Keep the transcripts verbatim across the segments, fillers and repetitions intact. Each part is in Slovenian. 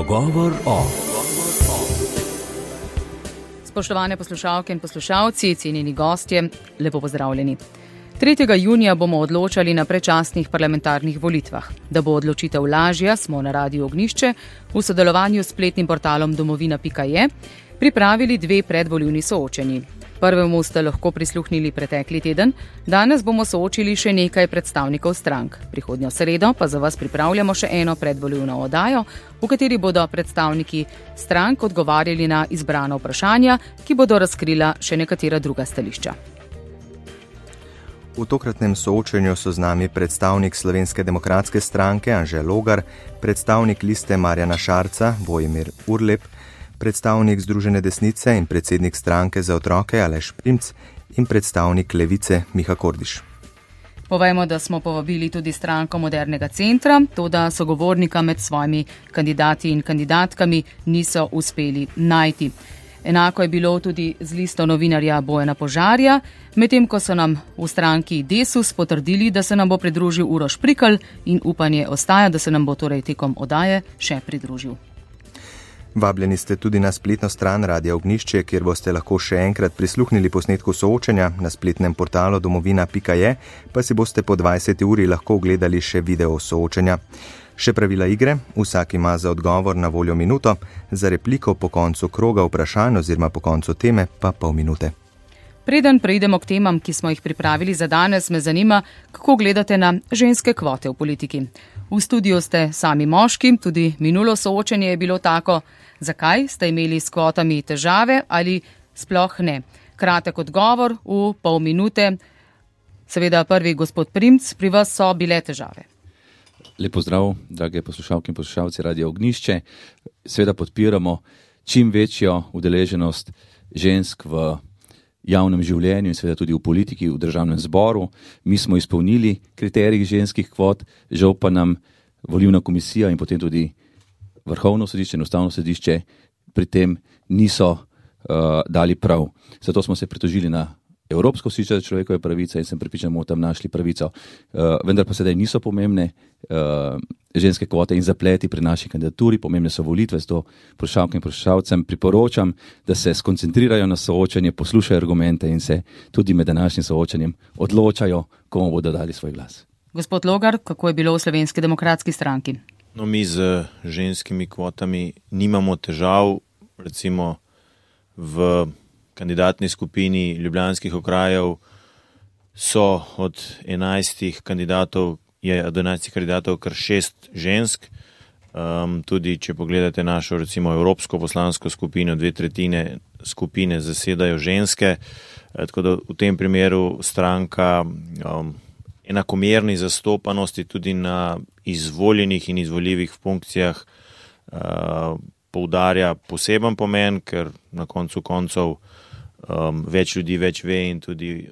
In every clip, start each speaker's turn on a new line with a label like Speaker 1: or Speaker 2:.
Speaker 1: Pogovor o.
Speaker 2: Spoštovane poslušalke in poslušalci, cenjeni gostje, lepo pozdravljeni. tretjega junija bomo odločali na predčasnih parlamentarnih volitvah. Da bo odločitev lažja, smo na Radiu Ognjišče v sodelovanju s spletnim portalom domovina pika je pripravili dve predvolilni soočenji. Prvemu ste lahko prisluhnili pretekli teden, danes bomo soočili še nekaj predstavnikov strank. Prihodnjo sredo pa za vas pripravljamo še eno predvolilno oddajo, v kateri bodo predstavniki strank odgovarjali na izbrana vprašanja, ki bodo razkrila še nekatera druga stališča.
Speaker 3: V tokratnem soočenju so z nami predstavnik Slovenske demokratske stranke Anže Logar, predstavnik liste Marjana Šarca Vojmir Urlep, predstavnik Združene desnice in predsednik stranke za otroke Aleš Primc in predstavnik Levice Miha Kordiš.
Speaker 2: Povejmo, da smo povabili tudi stranko Modernega centra, toda sogovornika med svojimi kandidati in kandidatkami niso uspeli najti. Enako je bilo tudi z listo novinarja Bojana Požarja, medtem ko so nam v stranki Desus potrdili, da se nam bo pridružil Uroš Prikl in upanje ostaja, da se nam bo torej tekom oddaje še pridružil.
Speaker 3: Vabljeni ste tudi na spletno stran Radia Ognjišče, kjer boste lahko še enkrat prisluhnili posnetku soočenja. Na spletnem portalu domovina pika je pa si boste po dvajseti uri lahko ogledali še video soočenja. Še pravila igre, vsak ima za odgovor na voljo minuto, za repliko po koncu kroga vprašanj oziroma po koncu teme pa pol minute.
Speaker 2: Preden preidemo k temam, ki smo jih pripravili za danes, me zanima, kako gledate na ženske kvote v politiki. V studiu ste sami moški, tudi minulo soočenje je bilo tako. Zakaj ste imeli s kvotami težave ali sploh ne? Kratek odgovor v pol minute. Seveda prvi gospod Primc, pri vas so bile težave.
Speaker 4: Lep pozdrav, drage poslušalke in poslušalci Radia Ognjišče. Seveda podpiramo čim večjo udeleženost žensk v javnem življenju in seveda tudi v politiki, v državnem zboru. Mi smo izpolnili kriterij ženskih kvot, žal pa nam volilna komisija in potem tudi Vrhovno sodišče in Ustavno sodišče pri tem niso uh, dali prav. Zato smo se pritožili na Evropsko sodišče za človekove pravice in sem prepričan, da bomo tam našli pravico. Uh, vendar pa sedaj niso pomembne uh, ženske kvote in zapleti pri naši kandidaturi, pomembne so volitve, zato poslušalkam in poslušalcem priporočam, da se skoncentrirajo na soočanje, poslušajo argumente in se tudi med današnjim soočanjem odločajo, komu bodo dali svoj glas.
Speaker 2: Gospod Logar, kako je bilo v Slovenski demokratski stranki?
Speaker 5: No, mi z ženskimi kvotami nimamo težav, recimo v kandidatni skupini ljubljanskih okrajev so od enajstih kandidatov, je od enajstih kandidatov kar šest žensk. Um, tudi če pogledate našo recimo evropsko poslansko skupino, dve tretjine skupine zasedajo ženske, e, tako da v tem primeru stranka um, enakomerni zastopanosti tudi na izvoljenih in izvoljivih funkcijah uh, poudarja poseben pomen, ker na koncu koncev um, več ljudi več ve in tudi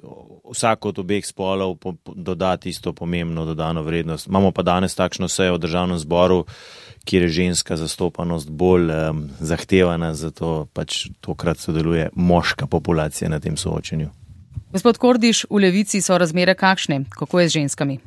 Speaker 5: vsak od obeh spolov po, po, doda tisto pomembno dodano vrednost. Imamo pa danes takšno sejo v državnem zboru, kjer je ženska zastopanost bolj um, zahtevana, zato pač tokrat sodeluje moška populacija na tem soočenju.
Speaker 2: Gospod Kordiš, v Levici so razmere kakšne? Kako je z ženskami?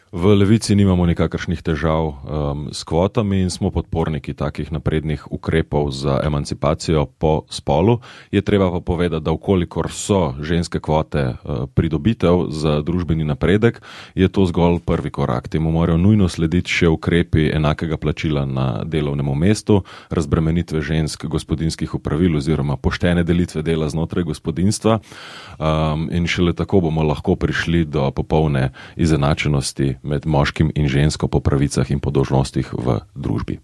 Speaker 6: V Levici nimamo nikakršnih težav um, s kvotami in smo podporniki takih naprednih ukrepov za emancipacijo po spolu. Je treba pa povedati, da ukolikor so ženske kvote uh, pridobitev za družbeni napredek, je to zgolj prvi korak. Temu morajo nujno slediti še ukrepi enakega plačila na delovnem mestu, razbremenitve žensk gospodinjskih opravil oziroma poštene delitve dela znotraj gospodinjstva um, in šele tako bomo lahko prišli do popolne izenačenosti med moškim in žensko po pravicah in po dolžnostih v družbi.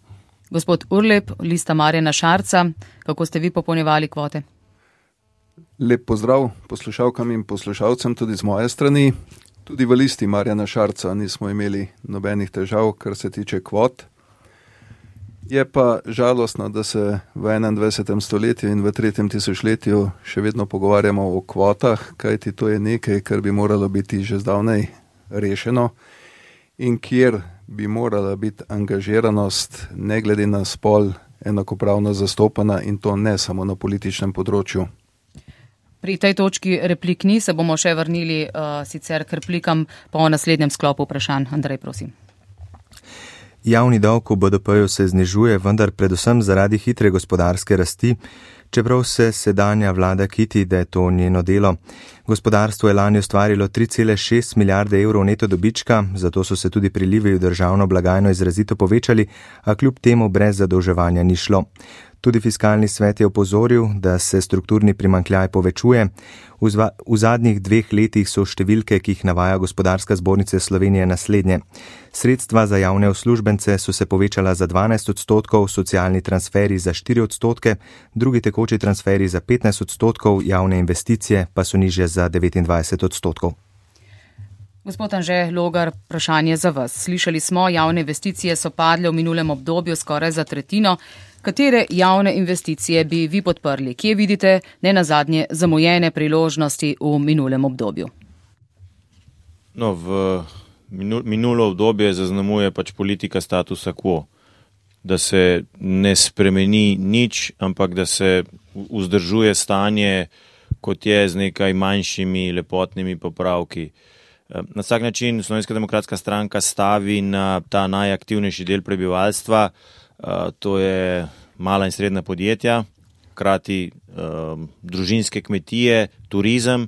Speaker 2: Gospod Urlep, lista Marjana Šarca, kako ste vi popolnjevali kvote?
Speaker 7: Lep pozdrav poslušalkam in poslušalcem tudi z moje strani. Tudi v listi Marjana Šarca nismo imeli nobenih težav, kar se tiče kvot. Je pa žalostno, da se v enaindvajsetem stoletju in v tretjem tisočletju še vedno pogovarjamo o kvotah, kajti to je nekaj, kar bi moralo biti že zdavnaj rešeno in kjer bi morala biti angažiranost ne glede na spol enakopravno zastopana in to ne samo na političnem področju.
Speaker 2: Pri tej točki replik ni, se bomo še vrnili uh, sicer k replikam po naslednjem sklopu vprašanj. Andrej, prosim.
Speaker 3: Javni dolg v B D P-ju se znižuje, vendar predvsem zaradi hitre gospodarske rasti, čeprav se sedanja vlada kiti, da je to njeno delo. Gospodarstvo je lani ustvarilo tri cele šest milijarde evrov neto dobička, zato so se tudi prilivi v državno blagajno izrazito povečali, a kljub temu brez zadolževanja ni šlo. Tudi fiskalni svet je opozoril, da se strukturni primanjkljaj povečuje. V, zva, v zadnjih dveh letih so številke, ki jih navaja Gospodarska zbornica Slovenije, naslednje. Sredstva za javne uslužbence so se povečala za dvanajst odstotkov, socialni transferi za štiri odstotke, drugi tekoči transferi za petnajst odstotkov, javne investicije pa so nižje za devetindvajset odstotkov.
Speaker 2: Gospod Anže Logar, vprašanje za vas. Slišali smo, javne investicije so padle v minulem obdobju skoraj za tretjino. Katere javne investicije bi vi podprli? Kje vidite ne nazadnje zamujene priložnosti v minulem obdobju?
Speaker 5: No, v minulo obdobje zaznamuje pač politika statusa quo, da se ne spremeni nič, ampak da se vzdržuje stanje, kot je z nekaj manjšimi lepotnimi popravki. Na vsak način Slovenska demokratska stranka stavi na ta najaktivnejši del prebivalstva, to je mala in srednja podjetja, hkrati um, družinske kmetije, turizem,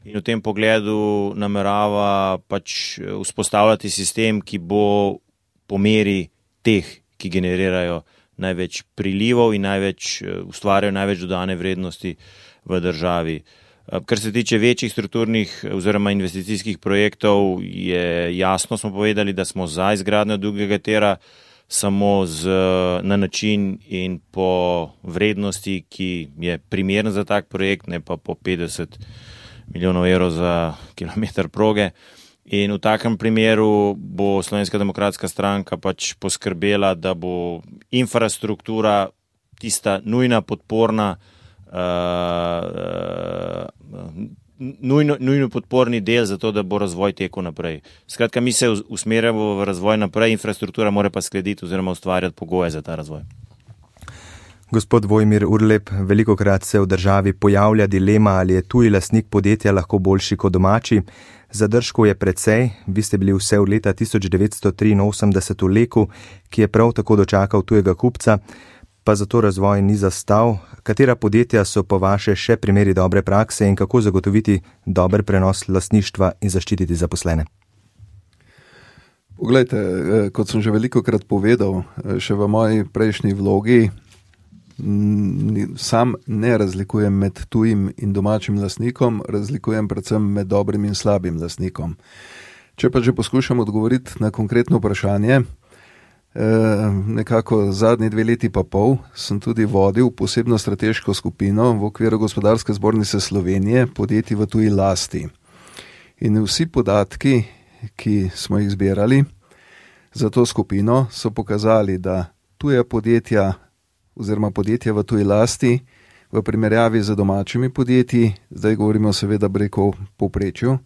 Speaker 5: in v tem pogledu namerava pač vzpostavljati sistem, ki bo po meri teh, ki generirajo največ prilivov in največ, ustvarjajo največ dodane vrednosti v državi. Kar se tiče večjih strukturnih oziroma investicijskih projektov, je jasno smo povedali, da smo za izgradnjo drugega tira, samo z, na način in po vrednosti, ki je primeren za tak projekt, ne pa po petdeset milijonov evrov za kilometer proge. In v takem primeru bo Slovenska demokratska stranka pač poskrbela, da bo infrastruktura tista nujna podporna, uh, uh, Nujno, nujno podporni del za to, da bo razvoj tekel naprej. Skratka, mi se usmerjamo v razvoj naprej, infrastruktura mora pa sklediti oziroma ustvarjati pogoje za ta razvoj.
Speaker 3: Gospod Vojmir Urlep, velikokrat se v državi pojavlja dilema, ali je tuji lastnik podjetja lahko boljši kot domači. Zadržkov je precej, vi ste bili vse od leta tisoč devetsto triinosemdeset v Leku, ki je prav tako dočakal tujega kupca, pa zato razvoj ni zastal. Katera podjetja so po vaše še primeri dobre prakse in kako zagotoviti dober prenos lastništva in zaščititi zaposlene?
Speaker 7: Poglejte, kot sem že velikokrat povedal, še v moji prejšnji vlogi, sam ne razlikujem med tujim in domačim lastnikom, razlikujem predvsem med dobrim in slabim lastnikom. Če pa že poskušam odgovoriti na konkretno vprašanje, nekako zadnji dve leti pa pol sem tudi vodil posebno strateško skupino v okviru Gospodarske zbornice Slovenije podjetij v tuji lasti. In vsi podatki, ki smo jih zbirali za to skupino, so pokazali, da tuja podjetja oziroma podjetja v tuji lasti v primerjavi z domačimi podjetji, zdaj govorimo seveda preko povprečju,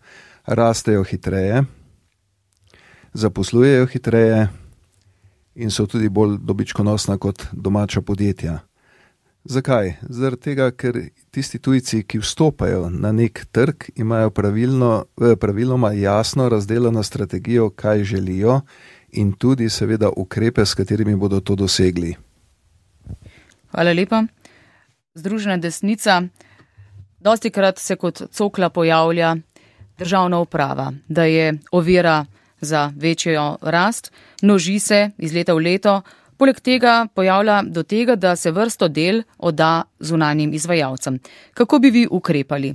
Speaker 7: rastejo hitreje, zaposlujejo hitreje in so tudi bolj dobičkonosna kot domača podjetja. Zakaj? Zaradi tega, ker tisti tujci, ki vstopajo na nek trg, imajo pravilno, praviloma jasno razdeljeno strategijo, kaj želijo in tudi seveda ukrepe, s katerimi bodo to dosegli.
Speaker 2: Hvala lepa. Združena desnica, dostikrat se kot cokla pojavlja državna uprava, da je ovira za večjo rast, množi se iz leta v leto, poleg tega pojavlja do tega, da se vrsto del odda zunanjim izvajalcem. Kako bi vi ukrepali?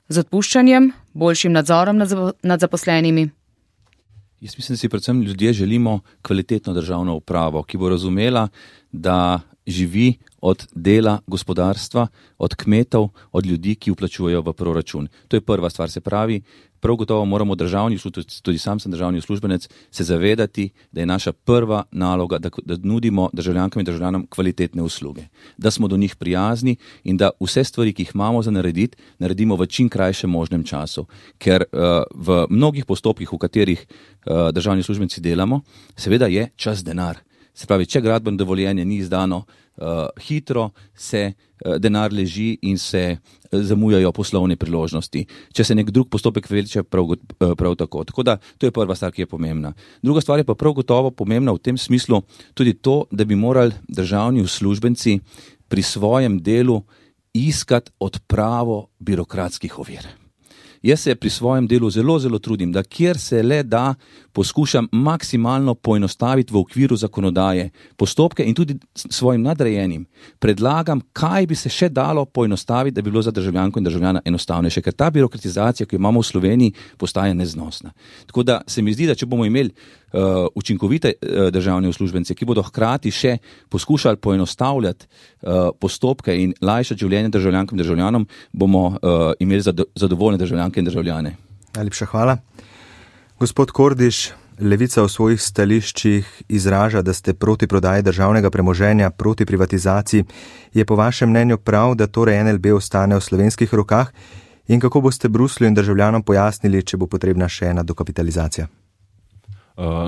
Speaker 2: Z odpuščanjem, boljšim nadzorom nad zaposlenimi?
Speaker 4: Jaz mislim, da si predvsem ljudje želimo kvalitetno državno upravo, ki bo razumela, da živi od dela gospodarstva, od kmetov, od ljudi, ki vplačujejo v proračun. To je prva stvar, se pravi, prav gotovo moramo državni, tudi sam sem državni uslužbenec, se zavedati, da je naša prva naloga, da, da nudimo državljankam in državljanom kvalitetne usluge, da smo do njih prijazni in da vse stvari, ki jih imamo za narediti, naredimo v čim krajšem možnem času. Ker uh, v mnogih postopkih, v katerih uh, državni uslužbenci delamo, seveda je čas denar. Se pravi, če gradbeno dovoljenje ni izdano uh, hitro se uh, denar leži in se uh, zamujajo poslovne priložnosti. Če se nek drug postopek vleče, prav, uh, prav tako. Tako da to je prva stvar, ki je pomembna. Druga stvar je pa prav gotovo pomembna v tem smislu tudi to, da bi morali državni uslužbenci pri svojem delu iskati odpravo birokratskih ovir. Jaz se pri svojem delu zelo, zelo trudim, da kjer se le da, poskušam maksimalno poenostaviti v okviru zakonodaje postopke in tudi svojim nadrejenim predlagam, kaj bi se še dalo poenostaviti, da bi bilo za državljanko in državljana enostavnejše, ker ta birokratizacija, ki jo imamo v Sloveniji, postaja neznosna. Tako da se mi zdi, da če bomo imeli uh, učinkovite uh, državne uslužbence, ki bodo hkrati še poskušali poenostavljati uh, postopke in lajšati življenje državljankam in državljanom, bomo uh, imeli zado- zadovoljne državljanke in državljane.
Speaker 3: Najlepša hvala. Gospod Kordiš, Levica v svojih stališčih izraža, da ste proti prodaji državnega premoženja, proti privatizaciji. Je po vašem mnenju prav, da torej N L B ostane v slovenskih rokah? In kako boste Bruslju in državljanom pojasnili, če bo potrebna še ena dokapitalizacija?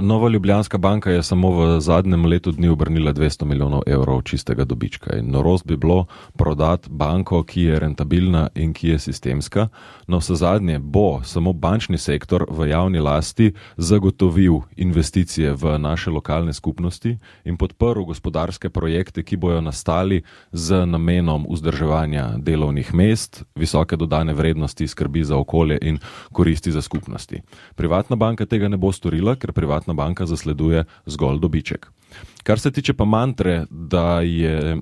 Speaker 6: Nova Ljubljanska banka je samo v zadnjem letu dni obrnila dvesto milijonov evrov čistega dobička in norost bi bilo prodati banko, ki je rentabilna in ki je sistemska. No, vse zadnje bo samo bančni sektor v javni lasti zagotovil investicije v naše lokalne skupnosti in podprl gospodarske projekte, ki bojo nastali z namenom vzdrževanja delovnih mest, visoke dodane vrednosti, skrbi za okolje in koristi za skupnosti. Privatna banka tega ne bo storila, ker privatna banka zasleduje zgolj dobiček. Kar se tiče pa mantre, da je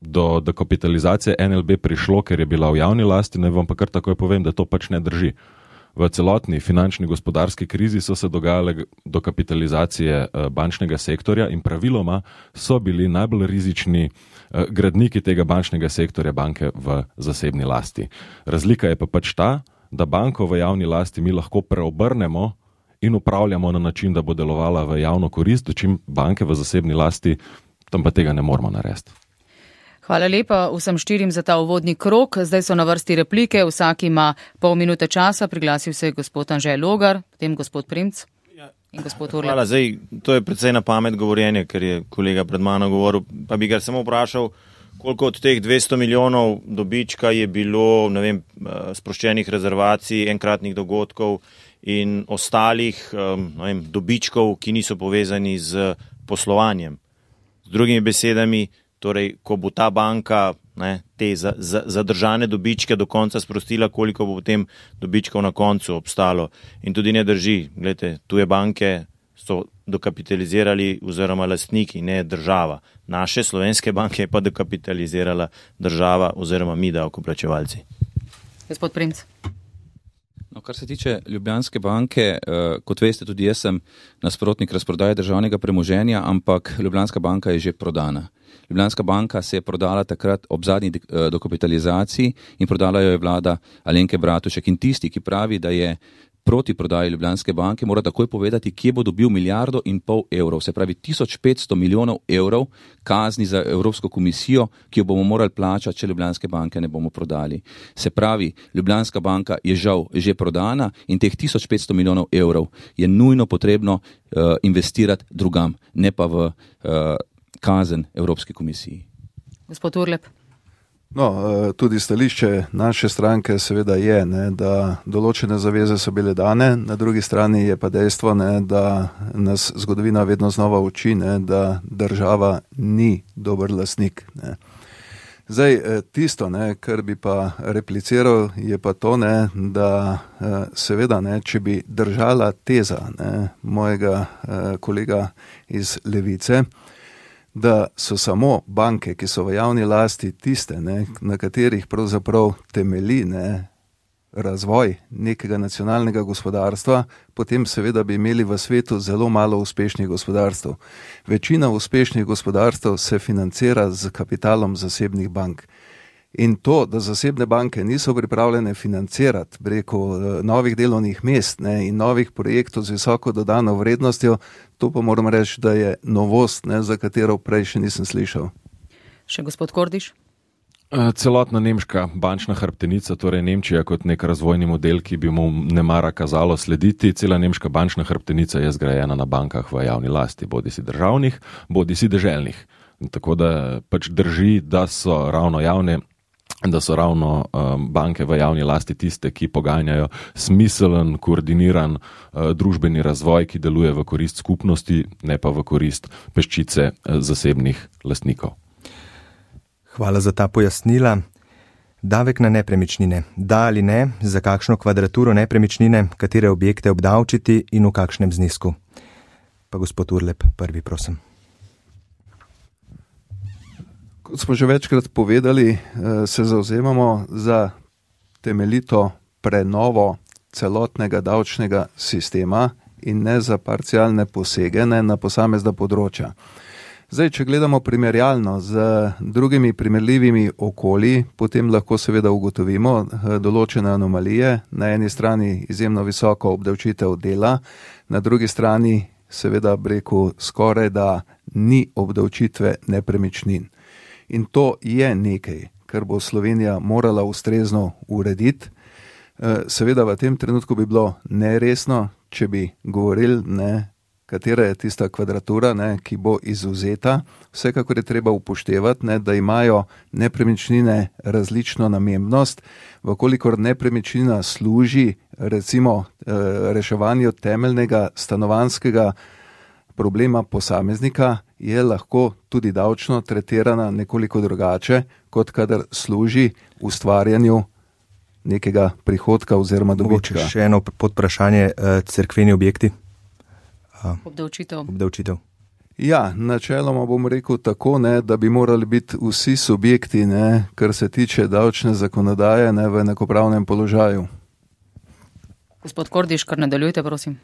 Speaker 6: do dokapitalizacije N L B prišlo, ker je bila v javni lasti, ne vam pa kar takoj povem, da to pač ne drži. V celotni finančni gospodarski krizi so se dogajale dokapitalizacije bančnega sektorja in praviloma so bili najbolj rizični gradniki tega bančnega sektorja banke v zasebni lasti. Razlika je pa pač ta, da banko v javni lasti mi lahko preobrnemo in upravljamo na način, da bo delovala v javno korist, dočim banke v zasebni lasti, tam pa tega ne moramo narediti.
Speaker 2: Hvala lepa vsem štirim za ta uvodni krog. Zdaj so na vrsti replike, vsak ima pol minute časa, priglasil se je gospod Anže Logar, potem gospod Primc in gospod Urlep.
Speaker 5: Hvala, zdaj to je precej na pamet govorjenje, ker je kolega pred mano govoril, pa bi ga samo vprašal, koliko od teh dvesto milijonov dobička je bilo, ne vem, sproščenih rezervacij, enkratnih dogodkov in ostalih ne vem, dobičkov, ki niso povezani z poslovanjem. Z drugimi besedami, torej, ko bo ta banka ne, te za, za, zadržane dobičke do konca sprostila, koliko bo potem dobičkov na koncu obstalo. In tudi ne drži, gledajte, tuje banke so dokapitalizirali oziroma lastniki, ne država. Naše slovenske banke je pa dokapitalizirala država oziroma mi davkoplačevalci.
Speaker 2: Gospod Primc.
Speaker 4: No, kar se tiče Ljubljanske banke, eh, kot veste, tudi jaz sem nasprotnik razprodaje državnega premoženja, ampak Ljubljanska banka je že prodana. Ljubljanska banka se je prodala takrat ob zadnji eh, dokapitalizaciji in prodala jo je vlada Alenke Bratušek. In tisti, ki pravi, da je proti prodaji Ljubljanske banke, mora takoj povedati, kje bo dobil milijardo in pol evrov, se pravi tisoč petsto milijonov evrov kazni za Evropsko komisijo, ki jo bomo morali plačati, če Ljubljanske banke ne bomo prodali. Se pravi, Ljubljanska banka je žal že prodana in teh tisoč petsto milijonov evrov je nujno potrebno uh, investirati drugam, ne pa v uh, kazen Evropske komisiji.
Speaker 2: Gospod Urlep.
Speaker 7: No, tudi stališče naše stranke seveda je, ne, da določene zaveze so bile dane, na drugi strani je pa dejstvo, ne, da nas zgodovina vedno znova uči, ne, da država ni dober lastnik. Ne. Zdaj, tisto, ne, kar bi pa repliciral, je pa to, ne, da seveda, ne, če bi držala teza ne, mojega kolega iz Levice, da so samo banke, ki so v javni lasti tiste, ne, na katerih pravzaprav temelji ne, razvoj nekega nacionalnega gospodarstva, potem seveda bi imeli v svetu zelo malo uspešnih gospodarstv. Večina uspešnih gospodarstv se financira z kapitalom zasebnih bank. In to, da zasebne banke niso pripravljene financirati preko novih delovnih mest ne, in novih projektov z visoko dodano vrednostjo, to pa moram reči, da je novost, ne, za katero prej še nisem slišal.
Speaker 2: Še gospod Kordiš?
Speaker 6: Celotna nemška bančna hrbtenica, torej Nemčija kot nek razvojni model, ki bi mu nemara kazalo slediti, cela nemška bančna hrbtenica je zgrajena na bankah v javni lasti, bodi si državnih, bodi si deželnih. Tako da pač drži, da so ravno javne, da so ravno um, banke v javni lasti tiste, ki poganjajo smiselen, koordiniran uh, družbeni razvoj, ki deluje v korist skupnosti, ne pa v korist peščice uh, zasebnih lastnikov.
Speaker 3: Hvala za ta pojasnila. Davek na nepremičnine. Da ali ne, za kakšno kvadraturo nepremičnine, katere objekte obdavčiti in v kakšnem znesku? Pa gospod Urlep, prvi prosim.
Speaker 7: Kot smo že večkrat povedali, se zavzemamo za temeljito prenovo celotnega davčnega sistema in ne za parcialne posege ne na posamezna področja. Zdaj, če gledamo primerjalno z drugimi primerljivimi okolji, potem lahko seveda ugotovimo določene anomalije. Na eni strani izjemno visoko obdavčitev dela, na drugi strani seveda breku skoraj da ni obdavčitve nepremičnin. In to je nekaj, kar bo Slovenija morala ustrezno urediti. Seveda v tem trenutku bi bilo neresno, če bi govorili, ne, katera je tista kvadratura, ne, ki bo izvzeta. Vsekakor je treba upoštevati, ne, da imajo nepremičnine različno namembnost. Vkolikor nepremičnina služi recimo reševanju temeljnega stanovanjskega problema posameznika, je lahko tudi davčno tretirana nekoliko drugače, kot kadar služi ustvarjanju nekega prihodka oziroma dobička.
Speaker 3: Mogoče še eno podprašanje, cerkveni objekti?
Speaker 2: Obdavčitev.
Speaker 3: Obdavčitev.
Speaker 7: Ja, načeloma bom rekel tako, ne, da bi morali biti vsi subjekti, ne, kar se tiče davčne zakonodaje, ne, v enakopravnem položaju.
Speaker 2: Gospod Kordiš, kar nadaljujte, prosim.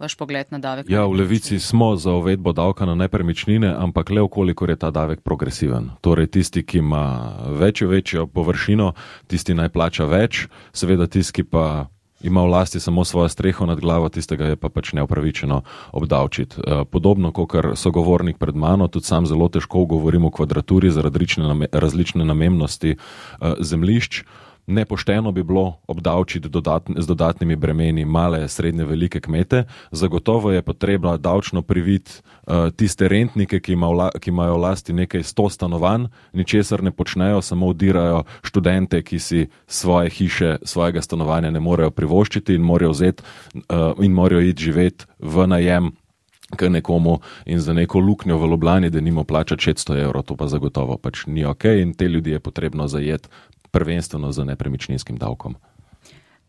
Speaker 2: Vaš pogled na davek?
Speaker 6: Ja, v Levici smo za uvedbo davka na nepremičnine, ampak le okolikor je ta davek progresiven. Torej tisti, ki ima večjo, večjo površino, tisti naj plača več, seveda tisti, ki pa ima v lasti samo svojo streho nad glavo, tistega je pa pač neupravičeno obdavčiti. Podobno, kot sogovornik pred mano, tudi sam zelo težko govorim o kvadraturi zaradi različne namembnosti zemljišč. Nepošteno bi bilo obdavčiti dodatn, z dodatnimi bremeni male, srednje, velike kmete. Zagotovo je potrebno davčno priviti uh, tiste rentnike, ki, ima vla, ki imajo v lasti nekaj sto stanovanj, ničesar ne počnejo, samo udirajo študente, ki si svoje hiše, svojega stanovanja ne morejo privoščiti in morajo vzeti uh, in morajo iti živeti v najem k nekomu in za neko luknjo v Ljubljani, da nimo plačati šeststo evrov, to pa zagotovo pač ni ok in te ljudi je potrebno zajeti prvenstveno z nepremičninskim davkom.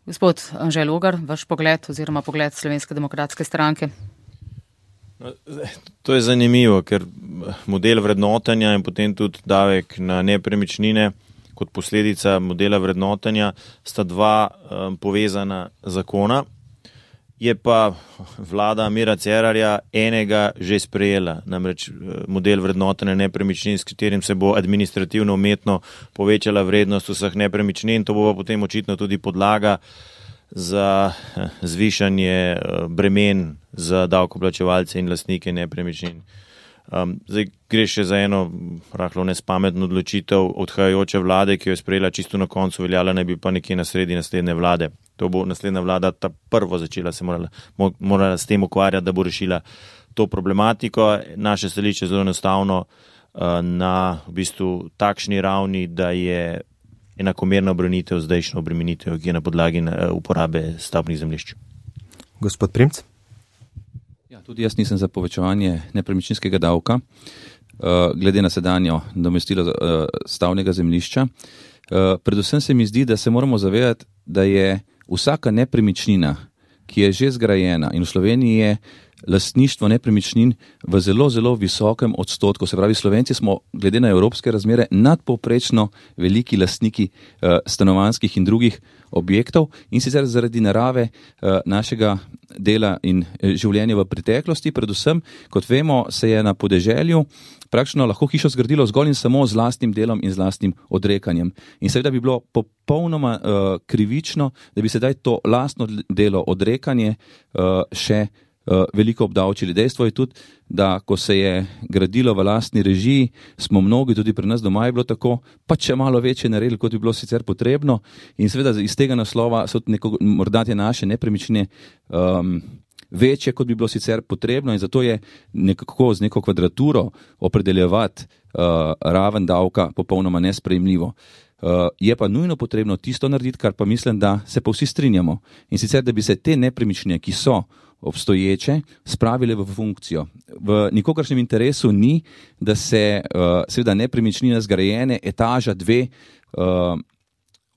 Speaker 2: Gospod Anže Logar, vaš pogled oziroma pogled Slovenske demokratske stranke?
Speaker 5: No, to je zanimivo, ker model vrednotenja in potem tudi davek na nepremičnine kot posledica modela vrednotenja sta dva um, povezana zakona. Je pa vlada Mira Cerarja enega že sprejela, namreč model vrednotenja nepremičnin, s katerim se bo administrativno umetno povečala vrednost vseh nepremičnin, to bo pa potem očitno tudi podlaga za zvišanje bremen za davkoplačevalce in lastnike nepremičnin. Um, zdaj gre še za eno rahlo nespametno odločitev odhajajoče vlade, ki jo je sprejela čisto na koncu, veljala naj bi pa nekje na sredi naslednje vlade. To bo naslednja vlada ta prvo začela se morala, morala s tem ukvarjati, da bo rešila to problematiko. Naše stališče je zelo enostavno uh, na v bistvu takšni ravni, da je enakomerna obremenitev zdajšnjo obremenitev, ki je na podlagi uh, uporabe stavbnih zemljišč.
Speaker 3: Gospod Primc?
Speaker 4: Tudi jaz nisem za povečevanje nepremičninskega davka, glede na sedanjo nadomestilo stavnega zemljišča. Predvsem se mi zdi, da se moramo zavedati, da je vsaka nepremičnina, ki je že zgrajena in v Sloveniji je lastništvo nepremičnin v zelo, zelo visokem odstotku. Se pravi, Slovenci smo glede na evropske razmere nadpovprečno veliki lastniki stanovanjskih in drugih objektov in sicer zaradi narave našega dela in življenja v preteklosti. Predvsem, kot vemo, se je na podeželju praktično lahko hišo zgradilo zgolj in samo z lastnim delom in z lastnim odrekanjem. In seveda bi bilo popolnoma uh, krivično, da bi sedaj to lastno delo, odrekanje uh, še uh, veliko obdavčili. Dejstvo je tudi, da ko se je gradilo v lastni režiji, smo mnogi, tudi pri nas doma je bilo tako, pa če malo večje naredili, kot bi bilo sicer potrebno. In seveda iz tega naslova so neko, morda te naše nepremičnine um, večje, kot bi bilo sicer potrebno in zato je nekako z neko kvadraturo opredeljevati uh, raven davka popolnoma nesprejemljivo. Uh, je pa nujno potrebno tisto narediti, kar pa mislim, da se pa vsi strinjamo. In sicer, da bi se te nepremičnine, ki so obstoječe, spravile v funkcijo. V nikogaršnjem interesu ni, da se uh, seveda nepremičnine zgrajene, etaža dve, uh,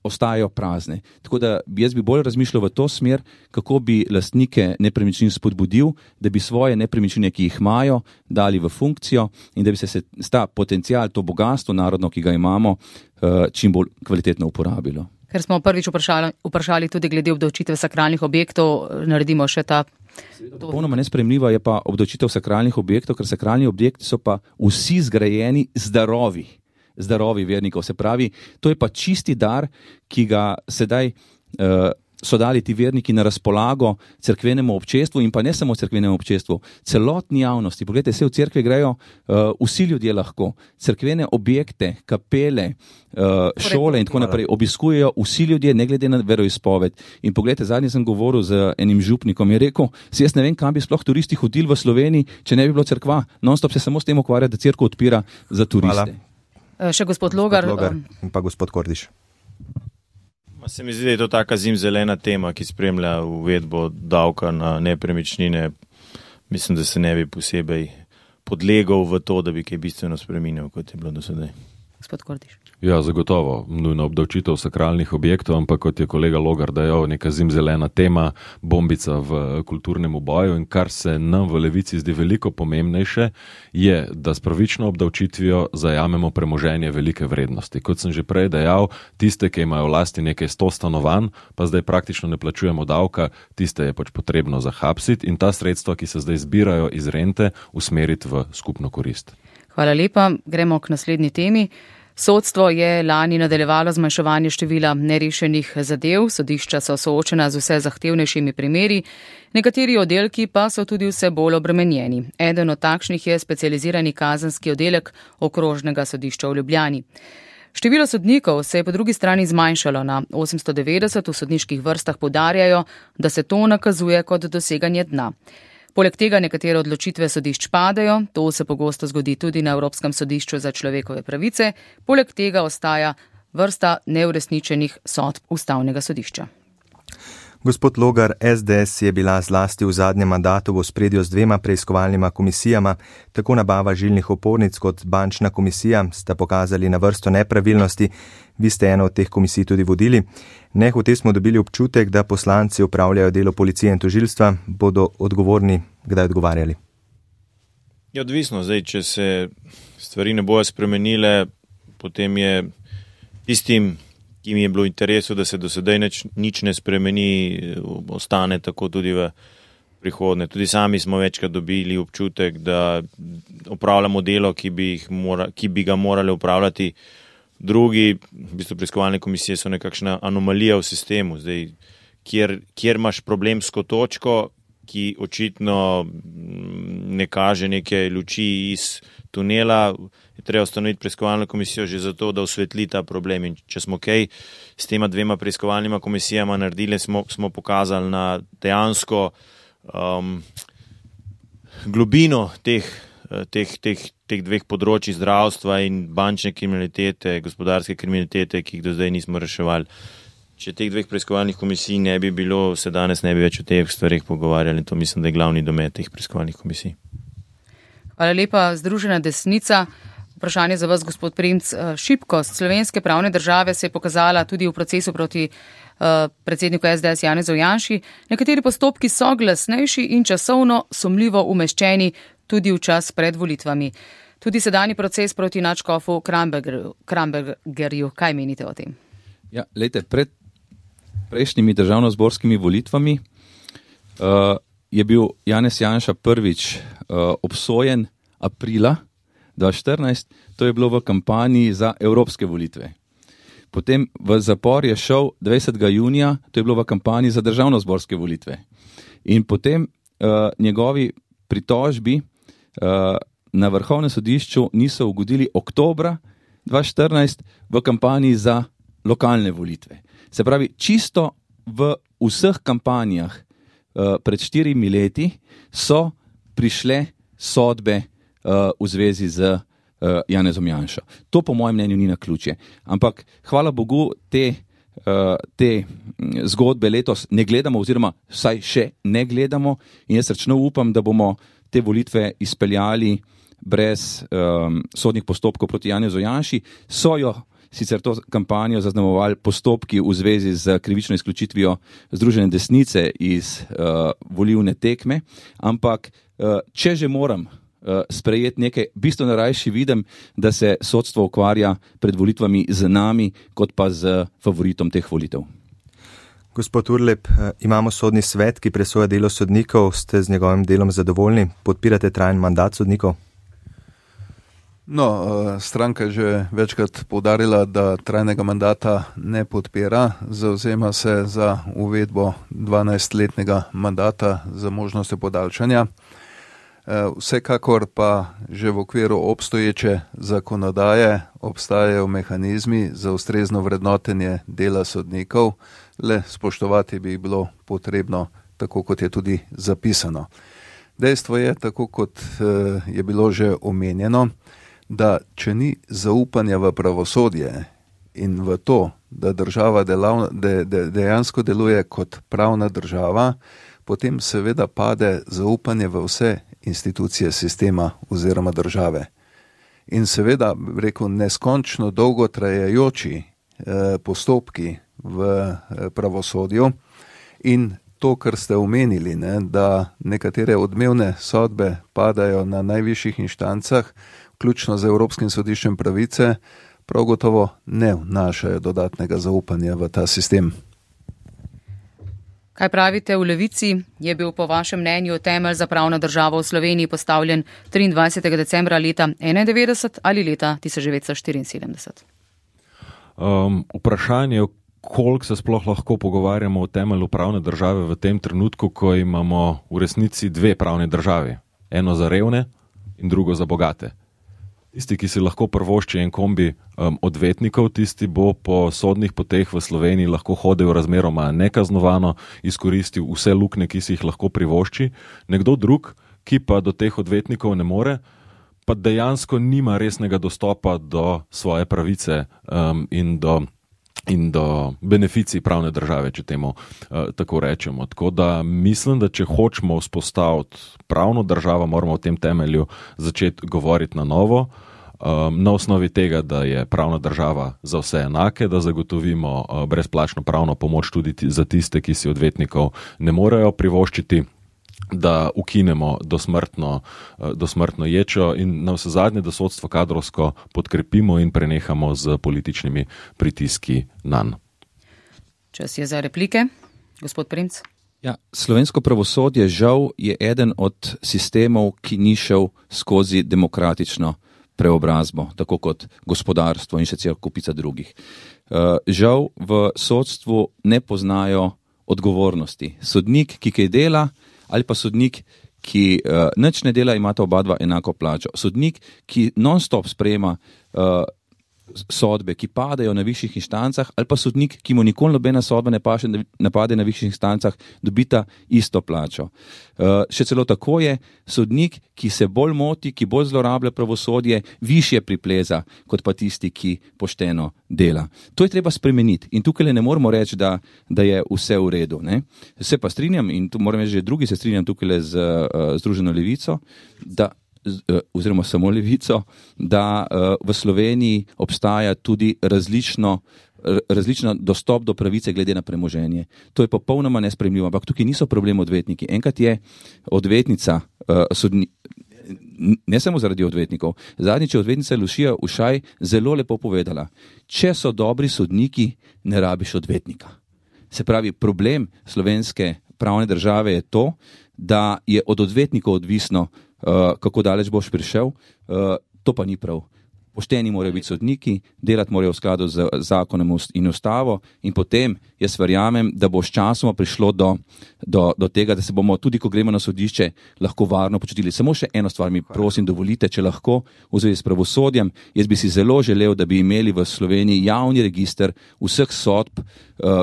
Speaker 4: ostajajo prazne. Tako da jaz bi bolj razmišljal v to smer, kako bi lastnike nepremičnin spodbudil, da bi svoje nepremičnine, ki jih imajo, dali v funkcijo in da bi se, se ta potencial, to bogatstvo narodno, ki ga imamo, čim bolj kvalitetno uporabilo.
Speaker 2: Ker smo prvič vprašali, vprašali tudi glede obdavčitve sakralnih objektov, naredimo še ta...
Speaker 4: Popolnoma nesprejemljiva je pa obdavčitev sakralnih objektov, ker sakralni objekti so pa vsi zgrajeni zdravi. zdravi vernikov. Se pravi, to je pa čisti dar, ki ga sedaj uh, so dali ti verniki na razpolago cerkvenemu občestvu in pa ne samo cerkvenemu občestvu, celotni javnosti. Poglejte, vse v cerkve grejo uh, vsi ljudje lahko. Cerkvene objekte, kapele, uh, šole in tako naprej obiskujejo vsi ljudje, ne glede na veroizpoved. In poglejte, zadnji sem govoril z enim župnikom, je rekel, si jaz ne vem, kam bi sploh turisti hodili v Sloveniji, če ne bi bilo cerkva. Non-stop se samo s tem ukvarja, da cerkev odpira za turiste.
Speaker 2: Hvala. Še gospod Logar.
Speaker 3: Gospod Logar in pa gospod Kordiš.
Speaker 5: Se mi zdi, da je to taka zimzelena tema, ki spremlja uvedbo davka na nepremičnine. Mislim, da se ne bi posebej podlegal v to, da bi kaj bistveno spremenil, kot je bilo do sedaj.
Speaker 2: Gospod Kordiš.
Speaker 6: Ja, zagotovo, nujno obdavčitev sakralnih objektov, ampak kot je kolega Logar dejal, neka zimzelena tema, bombica v kulturnem boju in kar se nam v Levici zdi veliko pomembnejše, je, da s pravično obdavčitvijo zajamemo premoženje velike vrednosti. Kot sem že prej dejal, tiste, ki imajo v lasti nekaj sto stanovanj, pa zdaj praktično ne plačujemo davka, tiste je pač potrebno zahapsiti in ta sredstva, ki se zdaj zbirajo iz rente, usmeriti v skupno korist.
Speaker 2: Hvala lepa, gremo k naslednji temi. Sodstvo je lani nadaljevalo zmanjševanje števila nerešenih zadev, sodišča so soočena z vse zahtevnejšimi primeri, nekateri oddelki pa so tudi vse bolj obremenjeni. Eden od takšnih je specializirani kazenski oddelek Okrožnega sodišča v Ljubljani. Število sodnikov se je po drugi strani zmanjšalo na osemsto devetdeset, v sodniških vrstah poudarjajo, da se to nakazuje kot doseganje dna. Poleg tega nekatere odločitve sodišč padajo, to se pogosto zgodi tudi na Evropskem sodišču za človekove pravice, poleg tega ostaja vrsta neuresničenih sodb Ustavnega sodišča.
Speaker 3: Gospod Logar, es de es je bila zlasti v zadnjem mandatu v ospredju z dvema preiskovalnima komisijama, tako nabava žilnih opornic kot bančna komisija sta pokazali na vrsto nepravilnosti, vi ste eno od teh komisij tudi vodili. Nehote smo dobili občutek, da poslanci upravljajo delo policije in tožilstva, bodo odgovorni, kdaj odgovarjali?
Speaker 5: Je odvisno, zdaj, če se stvari ne bojo spremenile, potem je tistim, ki mi je bilo v interesu, da se do sedaj nič, nič ne spremeni, ostane tako tudi v prihodnje. Tudi sami smo večkrat dobili občutek, da opravljamo delo, ki bi, jih mora, ki bi ga morali upravljati drugi. V bistvu preiskovalne komisije so nekakšna anomalija v sistemu, zdaj, kjer, kjer imaš problemsko točko, ki očitno ne kaže neke luči iz tunela, je treba ustanoviti preiskovalno komisijo že zato, da osvetli ta problem. In če smo kaj s tema dvema preiskovalnima komisijama naredili, smo, smo pokazali na dejansko um, globino teh, teh, teh, teh dveh področji zdravstva in bančne kriminalitete, gospodarske kriminalitete, ki jih do zdaj nismo reševali. Če teh dveh preiskovalnih komisij ne bi bilo, se danes ne bi več o teh stvarih pogovarjali. To mislim, da je glavni domet teh preiskovalnih komisij.
Speaker 2: Hvala lepa, Združena desnica. Vprašanje za vas, gospod Primc. Šibkost slovenske pravne države se je pokazala tudi v procesu proti uh, predsedniku es de es Janezu Janši. Nekateri postopki so glasnejši in časovno sumljivo umeščeni tudi v čas pred volitvami. Tudi sedanji proces proti nadškofu Krambergerju. Krambergerju. Kaj menite o tem?
Speaker 4: Ja, lejte, pred prejšnjimi državnozborskimi volitvami uh, je bil Janez Janša prvič uh, obsojen aprila dva tisoč štirinajst, to je bilo v kampanji za evropske volitve. Potem v zapor je šel dvajsetega junija, to je bilo v kampanji za državnozborske volitve. In potem uh, njegovi pritožbi uh, na Vrhovnem sodišču niso ugodili oktobra dva tisoč štirinajst v kampanji za lokalne volitve. Se pravi, čisto v vseh kampanjah uh, pred štirimi leti so prišle sodbe uh, v zvezi z uh, Janezom Janšo. To po mojem mnenju ni naključje. Ampak hvala Bogu te, uh, te zgodbe letos ne gledamo oziroma vsaj še ne gledamo in jaz srčno upam, da bomo te volitve izpeljali brez um, sodnih postopkov proti Janezu Janši. So jo sicer to kampanjo zaznamovali postopki v zvezi z krivično izključitvijo Združene desnice iz uh, volilne tekme, ampak uh, če že moram uh, sprejeti nekaj, bistveno rajši vidim, da se sodstvo ukvarja pred volitvami z nami, kot pa z favoritom teh volitev.
Speaker 3: Gospod Urlep, imamo sodni svet, ki presoja delo sodnikov, ste z njegovim delom zadovoljni? Podpirate trajen mandat sodnikov?
Speaker 7: No, stranka je že večkrat poudarila, da trajnega mandata ne podpira, zavzema se za uvedbo dvanajstletnega mandata za možnostjo podaljšanja. Vsekakor pa že v okviru obstoječe zakonodaje obstajajo mehanizmi za ustrezno vrednotenje dela sodnikov, le spoštovati bi bilo potrebno, tako kot je tudi zapisano. Dejstvo je, tako kot je bilo že omenjeno, da če ni zaupanja v pravosodje in v to, da država delav, de, de, dejansko deluje kot pravna država, potem seveda pade zaupanje v vse institucije sistema oziroma države. In seveda, rekel, neskončno dolgo trajajoči eh, postopki v eh, pravosodju in to, kar ste omenili, ne, da nekatere odmevne sodbe padajo na najvišjih inštancah, vključno z Evropskim sodiščem pravice, prav gotovo ne vnašajo dodatnega zaupanja v ta sistem.
Speaker 2: Kaj pravite v Levici? Je bil po vašem mnenju temelj za pravno državo v Sloveniji postavljen triindvajsetega decembra leta enaindevetdeset ali leta tisoč devetsto štiriinsedemdeset?
Speaker 6: Um, vprašanje, koliko se sploh lahko pogovarjamo o temelju pravne države v tem trenutku, ko imamo v resnici dve pravne državi. Eno za revne in drugo za bogate. Tisti, ki si lahko prvošči en kombi um, odvetnikov, tisti bo po sodnih poteh v Sloveniji lahko hodil razmeroma nekaznovano, izkoristil vse luknje, ki si jih lahko privošči. Nekdo drug, ki pa do teh odvetnikov ne more, pa dejansko nima resnega dostopa do svoje pravice um, in do in do beneficij pravne države, če temu uh, tako rečemo. Tako da mislim, da če hočemo vzpostaviti pravno državo, moramo v tem temelju začeti govoriti na novo, um, na osnovi tega, da je pravna država za vse enake, da zagotovimo uh, brezplačno pravno pomoč tudi t- za tiste, ki si odvetnikov ne morejo privoščiti, da ukinemo dosmrtno, dosmrtno ječo in na vse zadnje, da sodstvo kadrovsko podkrepimo in prenehamo z političnimi pritiski nanj.
Speaker 2: Čas je za replike. Gospod Primc.
Speaker 4: Ja, slovensko pravosodje žal je eden od sistemov, ki ni šel skozi demokratično preobrazbo, tako kot gospodarstvo in še cel kupica drugih. Žal v sodstvu ne poznajo odgovornosti. Sodnik, ki kaj dela, ali pa sodnik, ki uh, nič ne dela, imata oba dva enako plačo. Sodnik, ki non-stop sprejema uh, sodbe, ki padajo na višjih inštancah, ali pa sodnik, ki mu nikoli nobena sodba ne paše, ne pade na višjih inštancah, dobita isto plačo. Uh, še celo tako je, sodnik, ki se bolj moti, ki bolj zlorablja pravosodje, višje pripleza, kot pa tisti, ki pošteno dela. To je treba spremeniti in tukaj ne moramo reči, da, da je vse v redu. Ne? Se pa strinjam in tu moram reči, že drugi se strinjam tukaj z uh, Združeno levico, da oziroma samo levico, da uh, v Sloveniji obstaja tudi različno, različno dostop do pravice glede na premoženje. To je popolnoma nesprejemljivo, ampak tukaj niso problem odvetniki. Enkrat je odvetnica, uh, sodni, ne samo zaradi odvetnikov, zadnjič je odvetnica Lušija Ušaj zelo lepo povedala, če so dobri sodniki, ne rabiš odvetnika. Se pravi, problem slovenske pravne države je to, da je od odvetnikov odvisno, Uh, kako daleč boš prišel, uh, to pa ni prav. pošteni morajo biti sodniki, delati morajo v skladu z zakonom in ustavo in potem jaz verjamem, da bo s časoma prišlo do, do, do tega, da se bomo tudi, ko gremo na sodišče, lahko varno počutili. Samo še eno stvar mi prosim dovolite, če lahko v zvezi s pravosodjem. Jaz bi si zelo želel, da bi imeli v Sloveniji javni register vseh sodb,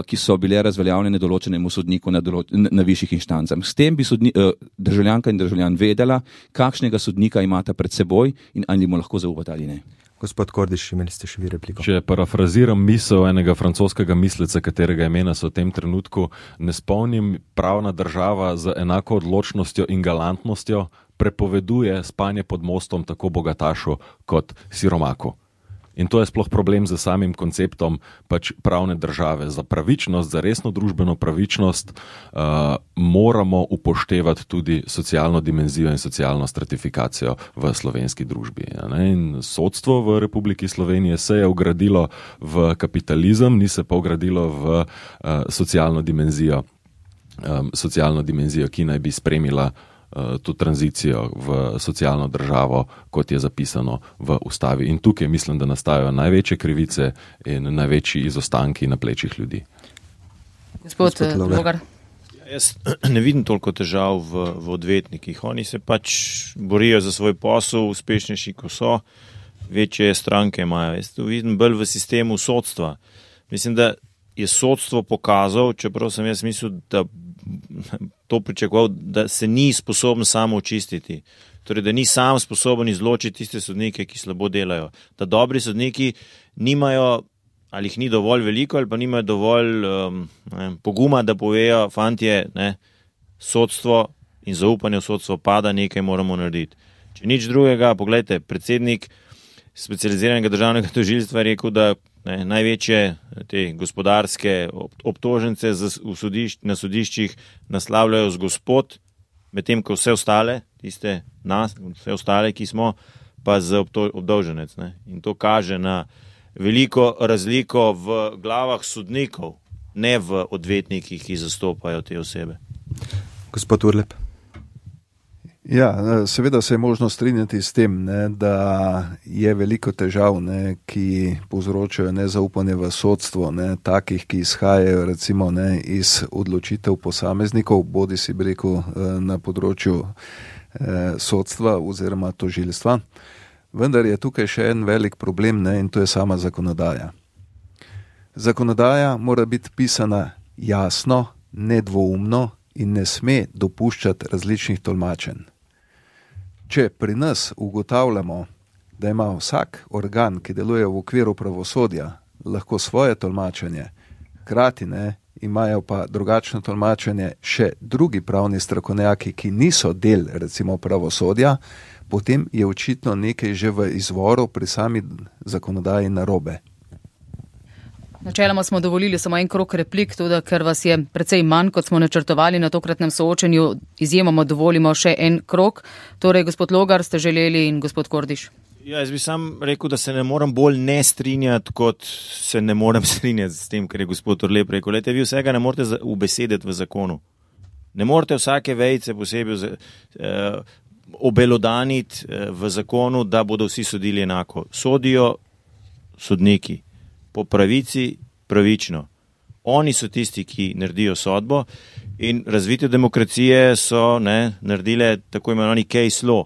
Speaker 4: ki so bile razveljavljene določenemu sodniku na, določ, na višjih inštancah. S tem bi sodni, državljanka in državljan vedela, kakšnega sodnika imata pred seboj in ali mu lahko zaupati ali ne.
Speaker 3: Gospod Kordiš, imeli ste še vi repliko.
Speaker 6: Če parafraziram misel enega francoskega misleca, katerega imena se v tem trenutku ne spomnim, pravna država z enako odločnostjo in galantnostjo prepoveduje spanje pod mostom tako bogatašu kot siromaku. In to je sploh problem z samim konceptom pač pravne države. Za pravičnost, za resno družbeno pravičnost uh, moramo upoštevati tudi socialno dimenzijo in socialno stratifikacijo v slovenski družbi. Ja, in sodstvo v Republiki Slovenije se je ugradilo v kapitalizem, ni se pa ugradilo v uh, socialno dimenzijo, um, socialno dimenzijo, ki naj bi spremila to tranzicijo v socialno državo, kot je zapisano v ustavi. In tukaj mislim, da nastajajo največje krivice in največji izostanki na plečih ljudi.
Speaker 2: Gospod, Gospod Logar.
Speaker 5: Jaz ne vidim toliko težav v, v odvetnikih. Oni se pač borijo za svoj posel, uspešnejši, ko so, večje stranke imajo. Jaz to vidim bolj v sistemu sodstva. Mislim, da je sodstvo pokazal, čeprav sem jaz mislil, da to pričakoval, da se ni sposoben samo očistiti. Torej, da ni sam sposoben izločiti tiste sodnike, ki slabo delajo. Da dobri sodniki nimajo, ali jih ni dovolj veliko, ali pa nimajo dovolj um, ne, poguma, da povejo, fantje, ne, sodstvo in zaupanje v sodstvo pada, nekaj moramo narediti. Če nič drugega, pogledajte, predsednik specializiranega državnega tožilstva je rekel, da ne, največje te gospodarske obtožence v sodišč, na sodiščih naslavljajo z gospod, medtem ko vse ostale, tiste nas, vse ostale, ki smo, pa z obdolženec. Ne. In to kaže na veliko razliko v glavah sodnikov, ne v odvetnikih, ki zastopajo te osebe.
Speaker 3: Gospod Urlep.
Speaker 7: Ja, seveda se je možno strinjati s tem, ne, da je veliko težav, ne, ki povzročajo nezaupanje v sodstvo, ne, takih, ki izhajajo recimo ne, iz odločitev posameznikov, bodi si bi rekel na področju eh, sodstva oziroma tožilstva. Vendar je tukaj še en velik problem, ne, in to je sama zakonodaja. Zakonodaja mora biti pisana jasno, nedvoumno in ne sme dopuščati različnih tolmačenj. Če pri nas ugotavljamo, da ima vsak organ, ki deluje v okviru pravosodja, lahko svoje tolmačenje, hkrati ne, imajo pa drugačno tolmačenje še drugi pravni strokovnjaki, ki niso del recimo pravosodja, potem je očitno nekaj že v izvoru pri sami zakonodaji narobe.
Speaker 2: Načeloma smo dovolili samo en krog replik, tudi ker vas je precej manj, kot smo načrtovali na tokratnem soočenju, izjemoma dovolimo še en krog. Torej, gospod Logar, ste želeli in gospod Kordiš.
Speaker 5: Ja, jaz bi sam rekel, da se ne morem bolj ne strinjati, kot se ne morem strinjati s tem, kar je gospod Orlep rekel. Lejte, vi vsega ne morete ubesediti v zakonu. Ne morete vsake vejice posebej eh, obelodaniti eh, v zakonu, da bodo vsi sodili enako. Sodijo sodniki. Po pravici pravično. Oni so tisti, ki naredijo sodbo in razvite demokracije so ne, naredile tako imenovani case law.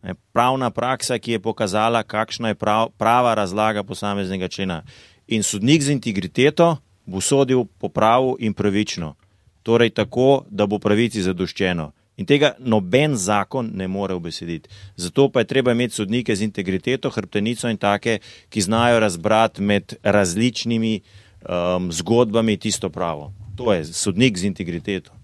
Speaker 5: Ne, pravna praksa, ki je pokazala, kakšna je prav, prava razlaga posameznega člena. In sodnik z integriteto bo sodil po pravu in pravično. Torej tako, da bo pravici zadoščeno. In tega noben zakon ne more ubesediti. Zato pa je treba imeti sodnike z integriteto, hrbtenico in take, ki znajo razbrati med različnimi um, zgodbami tisto pravo. To je sodnik z integriteto.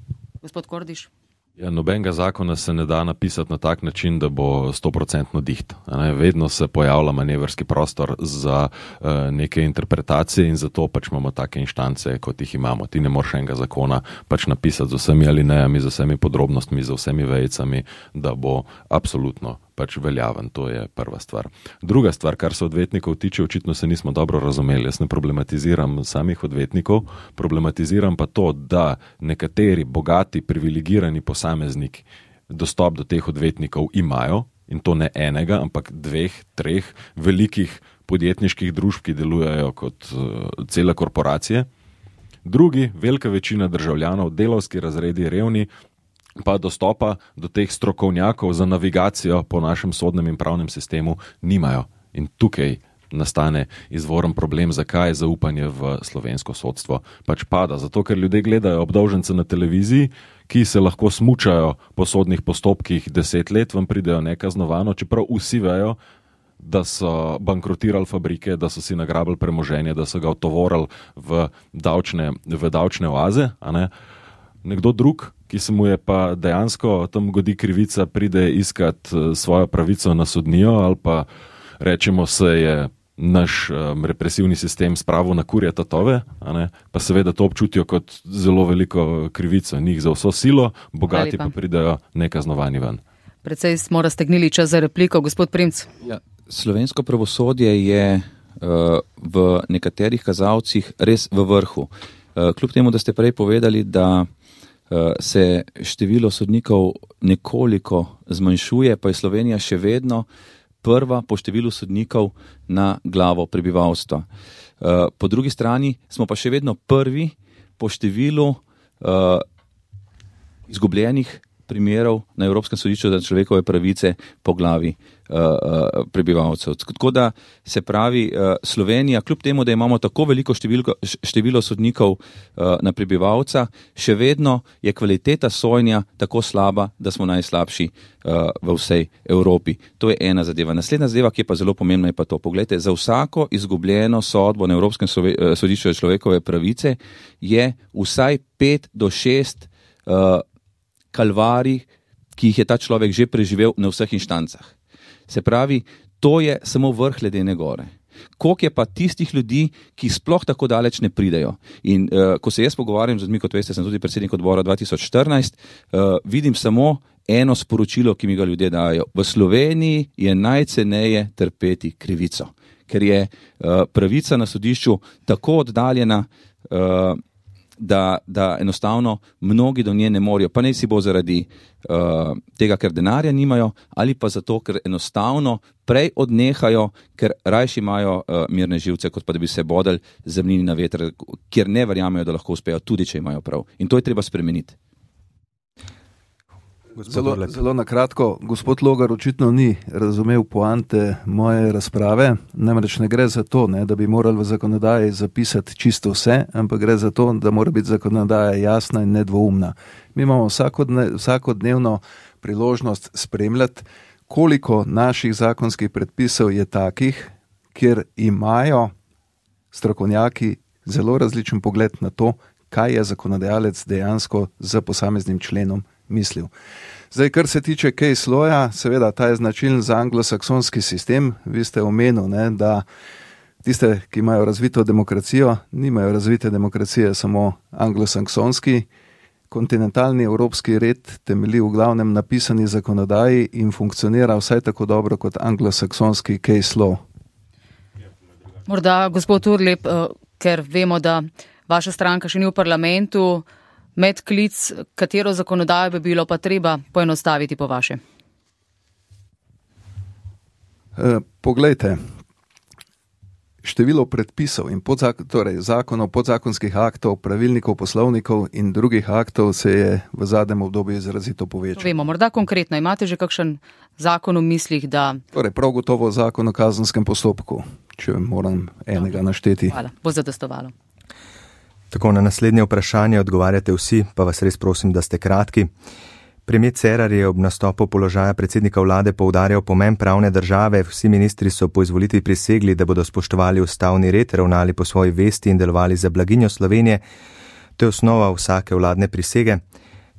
Speaker 2: Gospod Kordiš.
Speaker 6: Ja, nobenega zakona se ne da napisati na tak način, da bo stoprocentno diht. Vedno se pojavlja manevrski prostor za uh, neke interpretacije in zato pač imamo take inštance, kot jih imamo. Ti ne moreš enega zakona pač napisati z vsemi alinejami, z vsemi podrobnostmi, z vsemi vejicami, da bo absolutno pač veljaven. To je prva stvar. Druga stvar, kar se odvetnikov tiče, očitno se nismo dobro razumeli. Jaz ne problematiziram samih odvetnikov, problematiziram pa to, da nekateri bogati, privilegirani posamezniki dostop do teh odvetnikov imajo in to ne enega, ampak dveh, treh velikih podjetniških družb, ki delujejo kot uh, cele korporacije. Drugi, velika večina državljanov, delavski razredi, revni, pa dostopa do teh strokovnjakov za navigacijo po našem sodnem in pravnem sistemu nimajo. In tukaj nastane izvoren problem, zakaj zaupanje v slovensko sodstvo pač pada. Zato, ker ljudje gledajo obdolžence na televiziji, ki se lahko smučajo po sodnih postopkih deset let, vam pridejo nekaznovano, čeprav vsi vejo, da so bankrotirali fabrike, da so si nagrabili premoženje, da so ga otovorili v davčne, v davčne oaze. A ne? Nekdo drug, ki se mu je pa dejansko tam godi krivica, pride iskat svojo pravico na sodnijo ali pa rečemo se je naš um, represivni sistem spravil na kurje tatove, a ne? Pa seveda to občutijo kot zelo veliko krivico. Njih za vso silo, bogati pa pridejo nekaznovani ven.
Speaker 2: Predvsej smo raztegnili čas za repliko, gospod Primc.
Speaker 4: Ja, slovensko pravosodje je uh, v nekaterih kazalcih res v vrhu. Uh, kljub temu, da ste prej povedali, da uh, se število sodnikov nekoliko zmanjšuje, pa je Slovenija še vedno prva po številu sodnikov na glavo prebivalstva. Uh, po drugi strani smo pa še vedno prvi po številu uh, izgubljenih primerov na Evropskem sodišču za človekove pravice po glavi uh, uh, prebivalcev. Tako da se pravi, uh, Slovenija, kljub temu, da imamo tako veliko številko, število sodnikov uh, na prebivalca, še vedno je kvaliteta sojenja tako slaba, da smo najslabši uh, v vsej Evropi. To je ena zadeva. Naslednja zadeva, ki je pa zelo pomembna, je pa to. Poglejte, za vsako izgubljeno sodbo na Evropskem sodišču za človekove pravice je vsaj pet do šest uh, kalvarij, ki jih je ta človek že preživel na vseh inštancah. Se pravi, to je samo vrh ledene gore. Koliko je pa tistih ljudi, ki sploh tako daleč ne pridejo. In uh, ko se jaz pogovarjam z ljudmi, kot veste, sem tudi predsednik odbora dva tisoč štirinajst, uh, vidim samo eno sporočilo, ki mi ga ljudje dajo. V Sloveniji je najceneje trpeti krivico, ker je uh, pravica na sodišču tako oddaljena, uh, Da, da enostavno mnogi do nje ne morejo, pa naj si bo zaradi uh, tega, ker denarja nimajo, ali pa zato, ker enostavno prej odnehajo, ker rajši imajo uh, mirne živce, kot pa da bi se bodali zemljini na veter, kjer ne verjamejo, da lahko uspejo, tudi če imajo prav. In to je treba spremeniti.
Speaker 7: Zelo, zelo na kratko, gospod Logar očitno ni razumel poante moje razprave, namreč ne gre za to, ne, da bi morali v zakonodaji zapisati čisto vse, ampak gre za to, da mora biti zakonodaja jasna in nedvoumna. Mi imamo vsakodne, vsakodnevno priložnost spremljati, koliko naših zakonskih predpisov je takih, kjer imajo strokovnjaki zelo različen pogled na to, kaj je zakonodajalec dejansko z posameznim členom mislil. Zdaj, kar se tiče case law-ja, seveda ta je značilen za anglosaksonski sistem. Vi ste omenili, ne, da tiste, ki imajo razvito demokracijo, nimajo razvite demokracije samo anglosaksonski. Kontinentalni evropski red temelji v glavnem napisani zakonodaji in funkcionira vsaj tako dobro kot anglosaksonski case law.
Speaker 2: Morda, gospod Urlep, ker vemo, da vaša stranka še ni v parlamentu, medklic, katero zakonodajo bi bilo pa treba poenostaviti po vaše?
Speaker 7: E, poglejte, število predpisov in podzak- torej zakonov, podzakonskih aktov, pravilnikov, poslovnikov in drugih aktov se je v zadnjem obdobju izrazito povečalo.
Speaker 2: Vemo, morda konkretno, imate že kakšen zakon v mislih, da...
Speaker 7: Torej, prav gotovo zakon o kazenskem postopku, če moram enega našteti.
Speaker 2: Hvala, bo zadostovalo.
Speaker 3: Tako, na naslednje vprašanje odgovarjate vsi, pa vas res prosim, da ste kratki. Premier Cerar je ob nastopu položaja predsednika vlade poudarjal pomen pravne države. Vsi ministri so po izvolitvi prisegli, da bodo spoštovali ustavni red, ravnali po svoji vesti in delovali za blaginjo Slovenije. To je osnova vsake vladne prisege.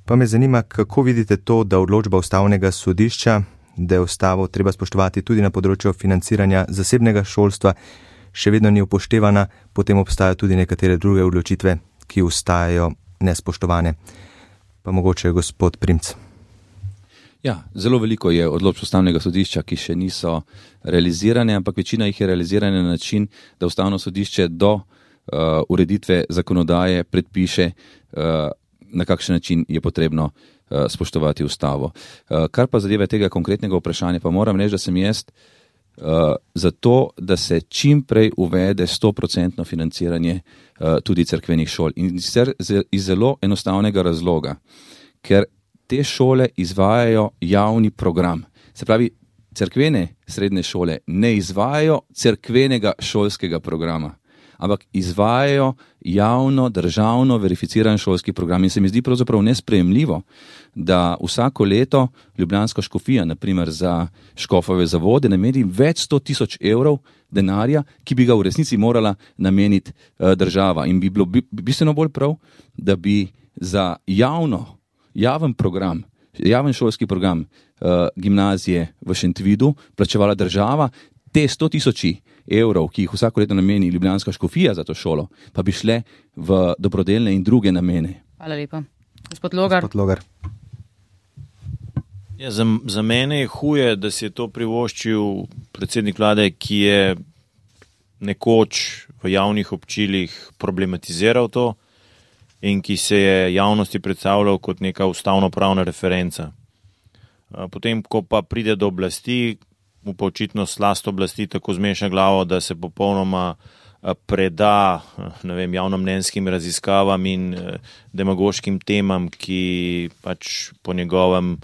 Speaker 3: Pa me zanima, kako vidite to, da odločba ustavnega sodišča, da je ustavo treba spoštovati tudi na področju financiranja zasebnega šolstva, še vedno ni upoštevana, potem obstajajo tudi nekatere druge odločitve, ki ostajajo nespoštovane. Pa mogoče gospod Primc.
Speaker 4: Ja, zelo veliko je odločb ustavnega sodišča, ki še niso realizirane, ampak večina jih je realizirana na način, da ustavno sodišče do uh, ureditve zakonodaje predpiše uh, na kakšen način je potrebno uh, spoštovati ustavo. Uh, kar pa zadeva tega konkretnega vprašanja, pa moram reči, da sem jaz uh, za to, da se čim prej uvede sto procentno financiranje uh, tudi cerkvenih šol. In sicer iz zelo enostavnega razloga, ker te šole izvajajo javni program. Se pravi, cerkvene srednje šole ne izvajajo cerkvenega šolskega programa, ampak izvajajo javno, državno verificiran šolski program. In se mi zdi pravzaprav nesprejemljivo, da vsako leto ljubljanska škofija, naprimer za škofove zavode, nameni več sto tisoč evrov denarja, ki bi ga v resnici morala nameniti uh, država. In bi bilo bistveno bolj prav, da bi za javno, javen program, javen šolski program uh, gimnazije v Šentvidu plačevala država, te sto tisoči evrov, ki jih vsako leto nameni ljubljanska škofija za to šolo, pa bi šle v dobrodelne in druge namene.
Speaker 2: Hvala lepa. Gospod Logar.
Speaker 3: Gospod Logar.
Speaker 5: Ja, za, za mene je huje, da si je to privoščil predsednik vlade, ki je nekoč v javnih občilih problematiziral to in ki se je javnosti predstavljal kot neka ustavno-pravna referenca. Potem, ko pa pride do oblasti, mu pa očitno slast oblasti tako zmeša glavo, da se popolnoma preda, ne vem, javnomnenjskim raziskavam in demagoškim temam, ki pač po njegovem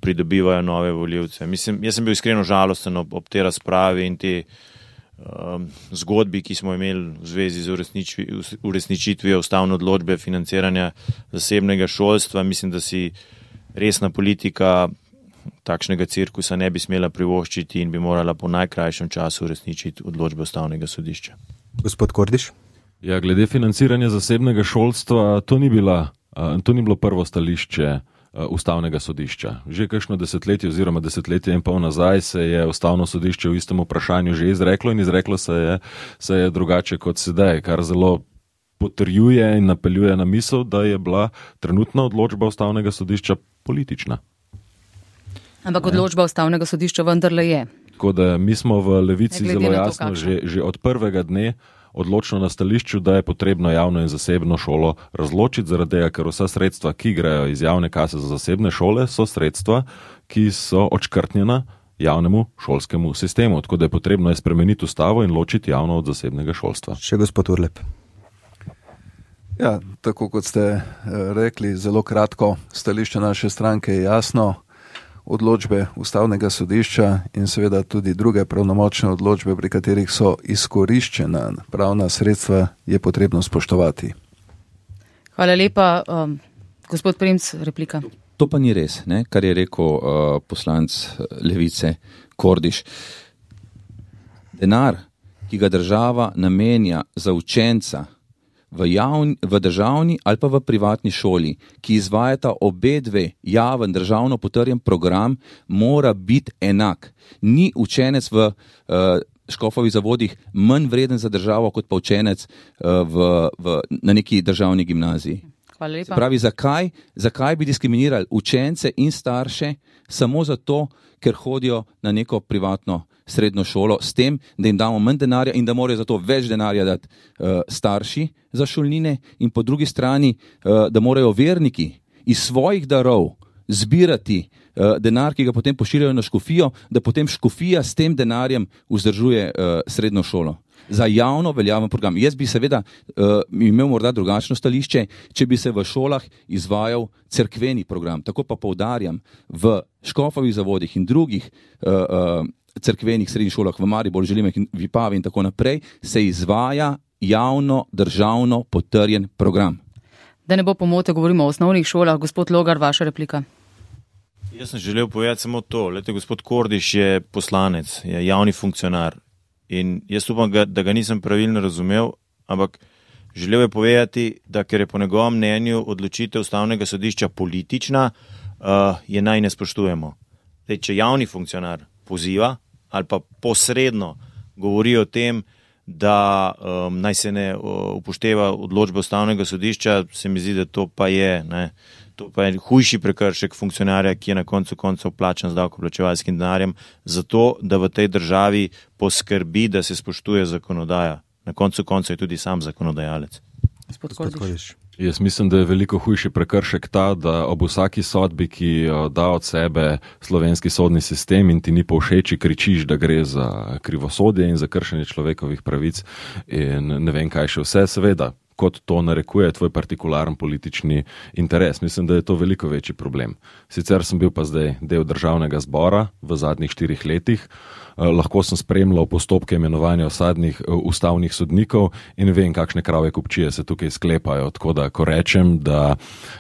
Speaker 5: pridobivajo nove volivce. Mislim, jaz sem bil iskreno žalosten ob, ob te razpravi in te um, zgodbi, ki smo imeli v zvezi z uresničitvijo ustavne odločbe financiranja zasebnega šolstva. Mislim, da si resna politika takšnega cirkusa ne bi smela privoščiti in bi morala po najkrajšem času uresničiti odločbe ustavnega sodišča.
Speaker 3: Gospod Kordiš?
Speaker 6: Ja, glede financiranja zasebnega šolstva, to ni, bila, to ni bilo prvo stališče ustavnega sodišča. Že kakšno desetletje oziroma desetletje in pol nazaj se je ustavno sodišče v istem vprašanju že izreklo in izreklo se je, se je drugače kot sedaj, kar zelo potrjuje in napeljuje na misel, da je bila trenutna odločba ustavnega sodišča politična.
Speaker 2: Ampak odločba ustavnega sodišča vendarle je.
Speaker 6: Tako da mi smo v Levici zelo jasno
Speaker 2: to,
Speaker 6: že, že od prvega dne odločno na stališču, da je potrebno javno in zasebno šolo razločiti, zaradi tega, ker vsa sredstva, ki grejo iz javne kase za zasebne šole, so sredstva, ki so odškrtnjena javnemu šolskemu sistemu. Tako da je potrebno je spremeniti ustavo in ločiti javno od zasebnega šolstva.
Speaker 3: Še gospod Urlep.
Speaker 7: Ja, tako kot ste rekli, zelo kratko, stališče naše stranke je jasno. Odločbe ustavnega sodišča in seveda tudi druge pravnomočne odločbe, pri katerih so izkoriščena pravna sredstva, je potrebno spoštovati.
Speaker 2: Hvala lepa. Um, gospod Primc, replika.
Speaker 4: To pa ni res, ne? Kar je rekel uh, poslanc Levice Kordiš. Denar, ki ga država namenja za učenca v, javni, v državni ali pa v privatni šoli, ki izvajata obe dve javen državno potrjen program, mora biti enak. Ni učenec v uh, škofovih zavodih manj vreden za državo, kot pa učenec uh, v, v, na neki državni gimnaziji.
Speaker 2: Hvala lepa.
Speaker 4: Pravi, zakaj, zakaj bi diskriminirali učence in starše samo zato, ker hodijo na neko privatno srednjo šolo, s tem, da jim damo manj denarja in da morajo za to več denarja dati uh, starši za šolnine in po drugi strani, uh, da morajo verniki iz svojih darov zbirati uh, denar, ki ga potem pošiljajo na škofijo, da potem škofija s tem denarjem vzdržuje uh, srednjo šolo. Za javno veljaven program. Jaz bi seveda uh, imel morda drugačno stališče, če bi se v šolah izvajal cerkveni program. Tako pa poudarjam, v škofovih zavodih in drugih uh, uh, cerkvenih srednjih šolah v Mariboru, Želimah in Vipavi in tako naprej, se izvaja javno, državno potrjen program.
Speaker 2: Da ne bo pomote, govorimo o osnovnih šolah. Gospod Logar, vaša replika.
Speaker 5: Jaz sem želel povedati samo to. Lete, gospod Kordiš je poslanec, je javni funkcionar. In jaz upam, da ga nisem pravilno razumel, ampak želel je povedati, da ker je po njegovem mnenju odločitev ustavnega sodišča politična, uh, je naj ne spoštujemo. Zdaj, če javni funkcionar poziva ali pa posredno govori o tem, da um, naj se ne upošteva odločbe ustavnega sodišča, se mi zdi, da to pa je, ne, to pa je hujši prekršek funkcionarja, ki je na koncu koncev plačan z davkoplačevalskim denarjem, zato da v tej državi poskrbi, da se spoštuje zakonodaja. Na koncu koncev je tudi sam zakonodajalec.
Speaker 2: Gospod Kordiš.
Speaker 6: Jaz mislim, da je veliko hujši prekršek ta, da ob vsaki sodbi, ki da od sebe slovenski sodni sistem in ti ni povšeči, kričiš, da gre za krivosodje in za kršenje človekovih pravic in ne vem kaj še vse, seveda, kot to narekuje tvoj partikularen politični interes. Mislim, da je to veliko večji problem. Sicer sem bil pa zdaj del državnega zbora v zadnjih štirih letih, lahko sem spremljal postopke imenovanja osadnih ustavnih sodnikov in vem, kakšne krave kupčije se tukaj sklepajo. Tako da, ko rečem, da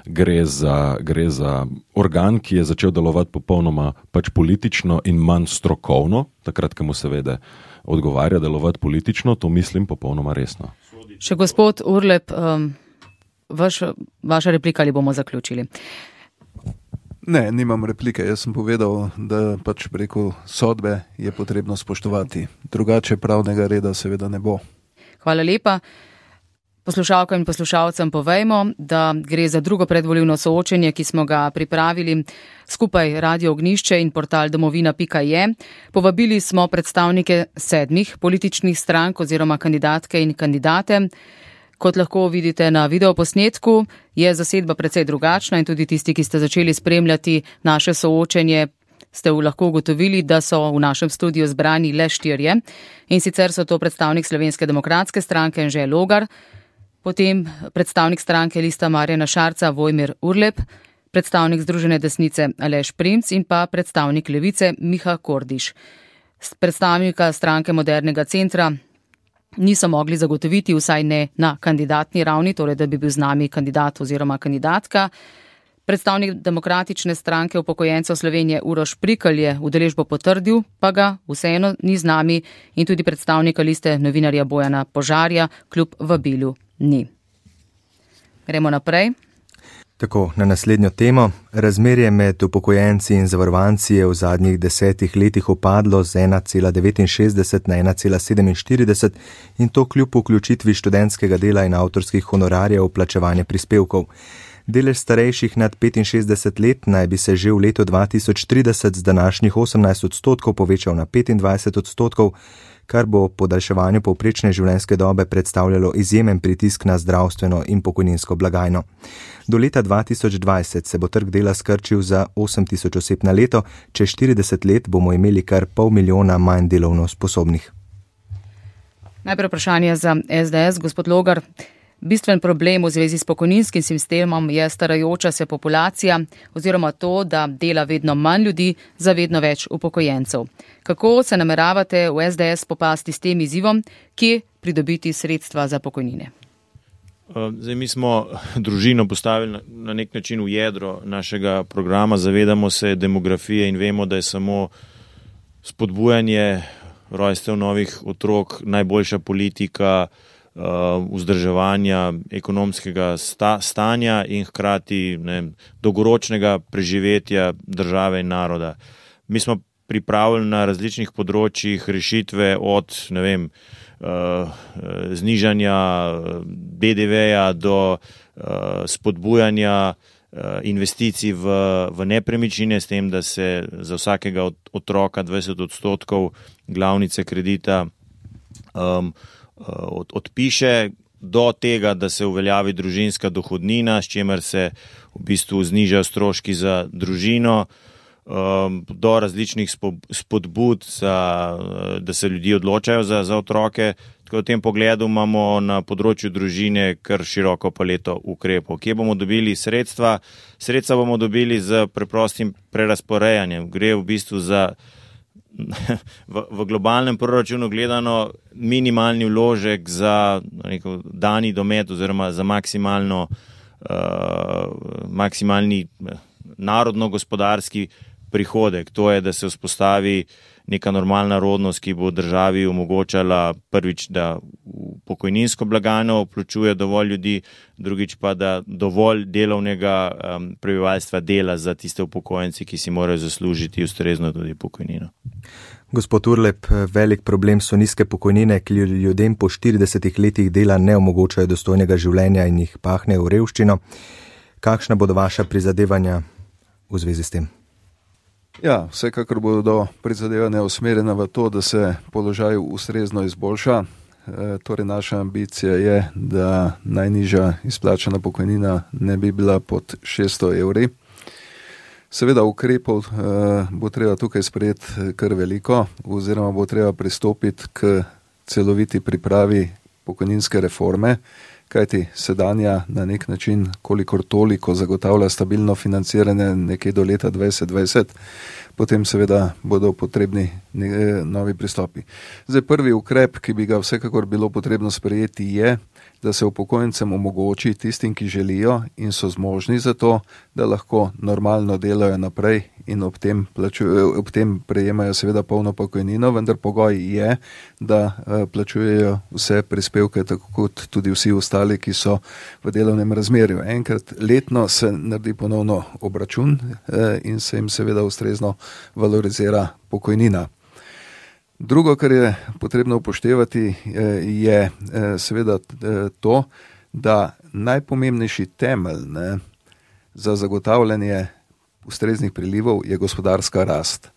Speaker 6: gre za, gre za organ, ki je začel delovati popolnoma pač politično in manj strokovno, takrat, ko mu seveda odgovarja delovati politično, to mislim popolnoma resno.
Speaker 2: Še gospod Urlep, um, vaš, vaša replika ali bomo zaključili?
Speaker 7: Ne, nimam replike. Jaz sem povedal, da pač preko sodbe je potrebno spoštovati. Drugače pravnega reda seveda ne bo.
Speaker 2: Hvala lepa. Poslušalkam in poslušalcem povejmo, da gre za drugo predvolilno soočenje, ki smo ga pripravili skupaj Radio Ognjišče in portal domovina pika je. Povabili smo predstavnike sedmih političnih strank oziroma kandidatke in kandidate. Kot lahko vidite na videoposnetku, je zasedba precej drugačna in tudi tisti, ki ste začeli spremljati naše soočenje, ste lahko ugotovili, da so v našem studiu zbrani le štirje. In sicer so to predstavnik Slovenske demokratske stranke Anže Logar, potem predstavnik stranke Lista Marjana Šarca Vojmir Urlep, predstavnik Združene desnice Aleš Primc in pa predstavnik Levice Miha Kordiš. Predstavnika stranke Modernega centra niso mogli zagotoviti, vsaj ne na kandidatni ravni, torej da bi bil z nami kandidat oziroma kandidatka. Predstavnik Demokratične stranke upokojencev Slovenije Uroš Prikl je udeležbo potrdil, pa ga vseeno ni z nami in tudi predstavnika liste novinarja Bojana Požarja kljub vabilu ni. Gremo naprej.
Speaker 3: Tako, na naslednjo temo. Razmerje med upokojenci in zavarovanci je v zadnjih desetih letih upadlo z ena cela devetinšestdeset na ena cela sedeminštirideset in to kljub vključitvi študentskega dela in avtorskih honorarjev v plačevanje prispevkov. Delež starejših nad petinšestdeset let naj bi se že v letu dva tisoč trideset z današnjih osemnajst odstotkov povečal na petindvajset odstotkov, kar bo podaljševanju povprečne življenjske dobe predstavljalo izjemen pritisk na zdravstveno in pokojninsko blagajno. Do leta dva tisoč dvajset se bo trg dela skrčil za osem tisoč oseb na leto, čez štirideset let bomo imeli kar pol milijona manj delovno sposobnih.
Speaker 2: Najprej vprašanje za es de es, gospod Logar. Bistven problem v zvezi s pokojninskim sistemom je starajoča se populacija oziroma to, da dela vedno manj ljudi za vedno več upokojencev. Kako se nameravate v es de es popasti s tem izzivom, kje pridobiti sredstva za pokojnine?
Speaker 5: Zdaj, mi smo družino postavili na nek način v jedro našega programa, zavedamo se demografije in vemo, da je samo spodbujanje rojstev novih otrok najboljša politika vzdrževanja ekonomskega sta, stanja in hkrati ne, dolgoročnega preživetja države in naroda. Mi smo pripravili na različnih področjih rešitve od ne vem, uh, znižanja be de veja do uh, spodbujanja uh, investicij v, v nepremičnine, s tem, da se za vsakega od, otroka dvajset odstotkov glavnice kredita um, Od, odpiše, do tega, da se uveljavi družinska dohodnina, s čimer se v bistvu znižajo stroški za družino, um, do različnih spodbud, za, da se ljudje odločajo za, za otroke. Tako v tem pogledu imamo na področju družine kar široko paleto ukrepov. Kje bomo dobili sredstva? Sredstva bomo dobili z preprostim prerasporejanjem. Gre v bistvu za V, v globalnem proračunu gledano minimalni vložek za neko dani domet oziroma za maksimalno, uh, maksimalni narodno-gospodarski prihodek. To je, da se vzpostavi neka normalna rodnost, ki bo državi omogočala prvič, da v pokojninsko blagajno vključuje dovolj ljudi, drugič pa, da dovolj delovnega um, prebivalstva dela za tiste upokojence, ki si morajo zaslužiti ustrezno tudi pokojnino.
Speaker 3: Gospod Urlep, velik problem so nizke pokojnine, ki ljudem po štiridesetih letih dela ne omogočajo dostojnega življenja in jih pahne v revščino. Kakšna bodo vaša prizadevanja v zvezi s tem?
Speaker 7: Ja, vsekakor bodo prizadevanja usmerjena v to, da se položaj ustrezno izboljša. Torej naša ambicija je, da najnižja izplačana pokojnina ne bi bila pod šeststo evri. Seveda ukrepov bo treba tukaj sprejeti kar veliko, oziroma bo treba pristopiti k celoviti pripravi pokojninske reforme, kajti sedanja na nek način kolikor toliko zagotavlja stabilno financiranje nekje do leta dvajset dvajset, potem seveda bodo potrebni novi pristopi. Zdaj prvi ukrep, ki bi ga vsekakor bilo potrebno sprejeti, je, da se upokojencem omogoči tistim, ki želijo in so zmožni za to, da lahko normalno delajo naprej in ob tem, plačujejo, ob tem prejemajo seveda polno pokojnino, vendar pogoj je, da plačujejo vse prispevke, tako kot tudi vsi ostali, ki so v delovnem razmerju. Enkrat letno se naredi ponovno obračun in se jim seveda ustrezno valorizira pokojnina. Drugo, kar je potrebno upoštevati, je seveda to, da najpomembnejši temelj ne, za zagotavljanje ustreznih prilivov je gospodarska rast,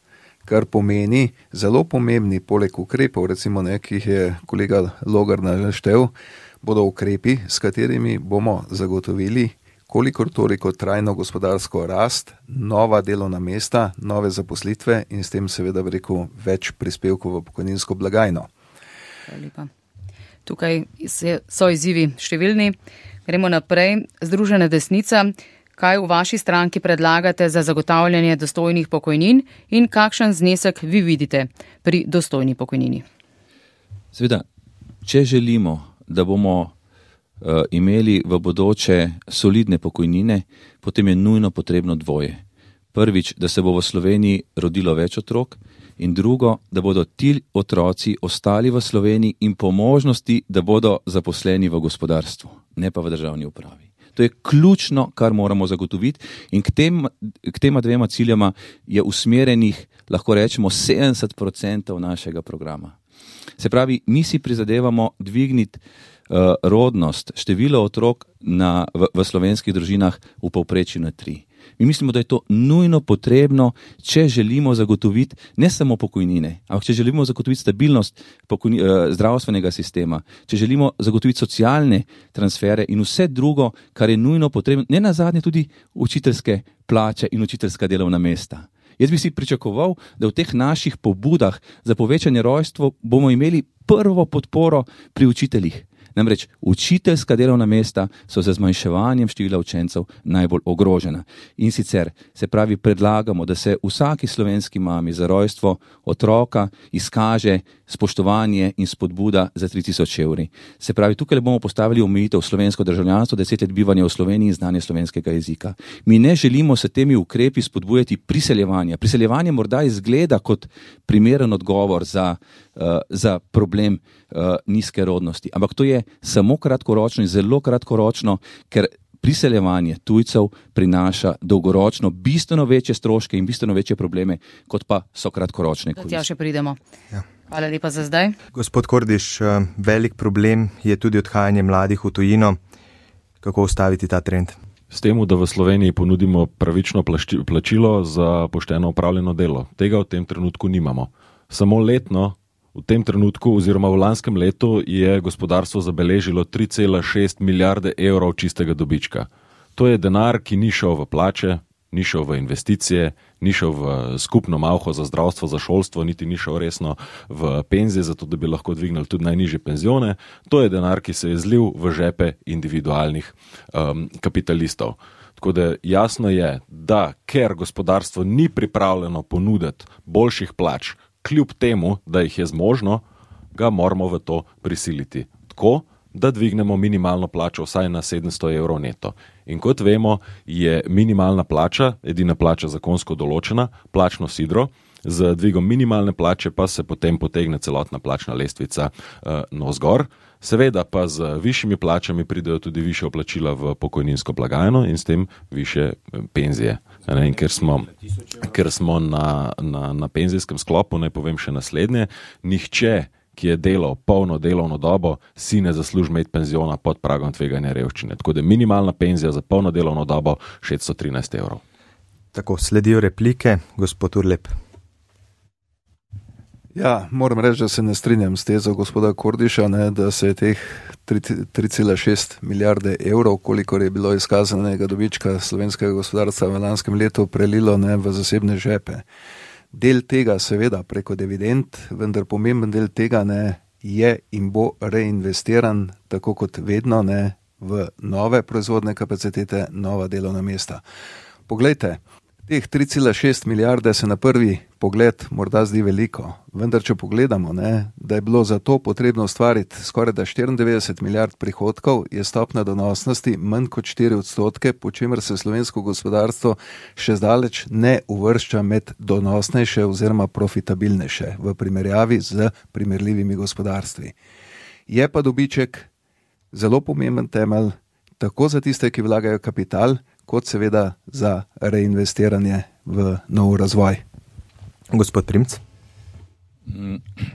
Speaker 7: kar pomeni zelo pomembni poleg ukrepov, recimo ne, ki jih je kolega Logar naštel, bodo ukrepi, s katerimi bomo zagotovili kolikor toliko trajno gospodarsko rast, nova delovna mesta, nove zaposlitve in s tem seveda rekel več prispevkov v pokojninsko blagajno.
Speaker 2: Lepa. Tukaj so izzivi številni. Gremo naprej. Združena desnica, kaj v vaši stranki predlagate za zagotavljanje dostojnih pokojnin in kakšen znesek vi vidite pri dostojni pokojnini?
Speaker 4: Seveda, če želimo, da bomo Uh, imeli v bodoče solidne pokojnine, potem je nujno potrebno dvoje. Prvič, da se bo v Sloveniji rodilo več otrok in drugo, da bodo ti otroci ostali v Sloveniji in po možnosti, da bodo zaposleni v gospodarstvu, ne pa v državni upravi. To je ključno, kar moramo zagotoviti in k, tem, k tema dvema ciljama je usmerjenih, lahko rečemo, sedemdeset procentov našega programa. Se pravi, mi si prizadevamo dvigniti Uh, rodnost, število otrok na, v, v slovenskih družinah v povprečju na tri. Mi mislimo, da je to nujno potrebno, če želimo zagotoviti ne samo pokojnine, ampak če želimo zagotoviti stabilnost pokojni, uh, zdravstvenega sistema, če želimo zagotoviti socialne transfere in vse drugo, kar je nujno potrebno, ne nazadnje tudi učiteljske plače in učiteljska delovna mesta. Jaz bi si pričakoval, da v teh naših pobudah za povečanje rojstva bomo imeli prvo podporo pri učiteljih. Namreč učiteljska delovna mesta so z zmanjševanjem števila učencev najbolj ogrožena. In sicer se pravi predlagamo, da se vsaki slovenski mami za rojstvo otroka izkaže spoštovanje in spodbuda za tri tisoč evri. Se pravi, tukaj bomo postavili omejitev slovensko državljanstvo, deset let bivanja v Sloveniji in znanje slovenskega jezika. Mi ne želimo se temi ukrepi spodbujati priseljevanja. Priseljevanje morda izgleda kot primeren odgovor za, uh, za problem uh, nizke rodnosti, ampak to je samo kratkoročno in zelo kratkoročno, ker priseljevanje tujcev prinaša dolgoročno bistveno večje stroške in bistveno večje probleme, kot pa so kratkoročne koristi.
Speaker 2: Tja še pridemo.
Speaker 3: Ja.
Speaker 2: Hvala lepa za zdaj.
Speaker 3: Gospod Kordiš, velik problem je tudi odhajanje mladih v tujino. Kako ustaviti ta trend?
Speaker 6: S tem, da v Sloveniji ponudimo pravično plačilo za pošteno opravljeno delo. Tega v tem trenutku nimamo. Samo letno, v tem trenutku oziroma v lanskem letu je gospodarstvo zabeležilo tri cela šest milijarde evrov čistega dobička. To je denar, ki ni šel v plače, ni šel v investicije, ni šel v skupno malho za zdravstvo, za šolstvo, niti ni šel resno v penzije, zato da bi lahko dvignili tudi najnižje penzione. To je denar, ki se je zlil v žepe individualnih um, kapitalistov. Tako da jasno je, da ker gospodarstvo ni pripravljeno ponuditi boljših plač, kljub temu, da jih je zmožno, ga moramo v to prisiliti. Tako, da dvignemo minimalno plačo vsaj na sedemsto evrov neto. In kot vemo, je minimalna plača, edina plača zakonsko določena, plačno sidro, z dvigom minimalne plače pa se potem potegne celotna plačna lestvica uh, navzgor. Seveda pa z višjimi plačami pridejo tudi višje vplačila v pokojninsko blagajno in s tem višje penzije. Ne, in ker smo, ker smo na, na, na penzijskem sklopu, naj povem še naslednje, nihče, ki je delal polno delovno dobo, si ne zasluži imeti penziona pod pragom tveganja revščine. Tako da minimalna penzija za polno delovno dobo šeststo trinajst evrov.
Speaker 3: Tako, sledijo replike, gospod Urlep.
Speaker 7: Ja, moram reči, da se ne strinjam s tezo gospoda Kordiša, ne, da se je teh tri cela šest milijarde evrov, kolikor je bilo izkazanega dobička slovenskega gospodarstva v lanskem letu, prelilo ne, v zasebne žepe. Del tega seveda preko dividend, vendar pomemben del tega ne, je in bo reinvestiran, tako kot vedno, ne, v nove proizvodne kapacitete, nova delovna mesta. Poglejte, teh tri cela šest milijarde se na prvi pogled morda zdi veliko, vendar če pogledamo, ne, da je bilo za to potrebno ustvariti skoraj da štiriindevetdeset milijard prihodkov, je stopna donosnosti manj kot štiri odstotke, po čemer se slovensko gospodarstvo še zdaleč ne uvršča med donosnejše oziroma profitabilnejše v primerjavi z primerljivimi gospodarstvi. Je pa dobiček zelo pomemben temelj, tako za tiste, ki vlagajo kapital, kot seveda za reinvestiranje v nov razvoj.
Speaker 3: Gospod Primc?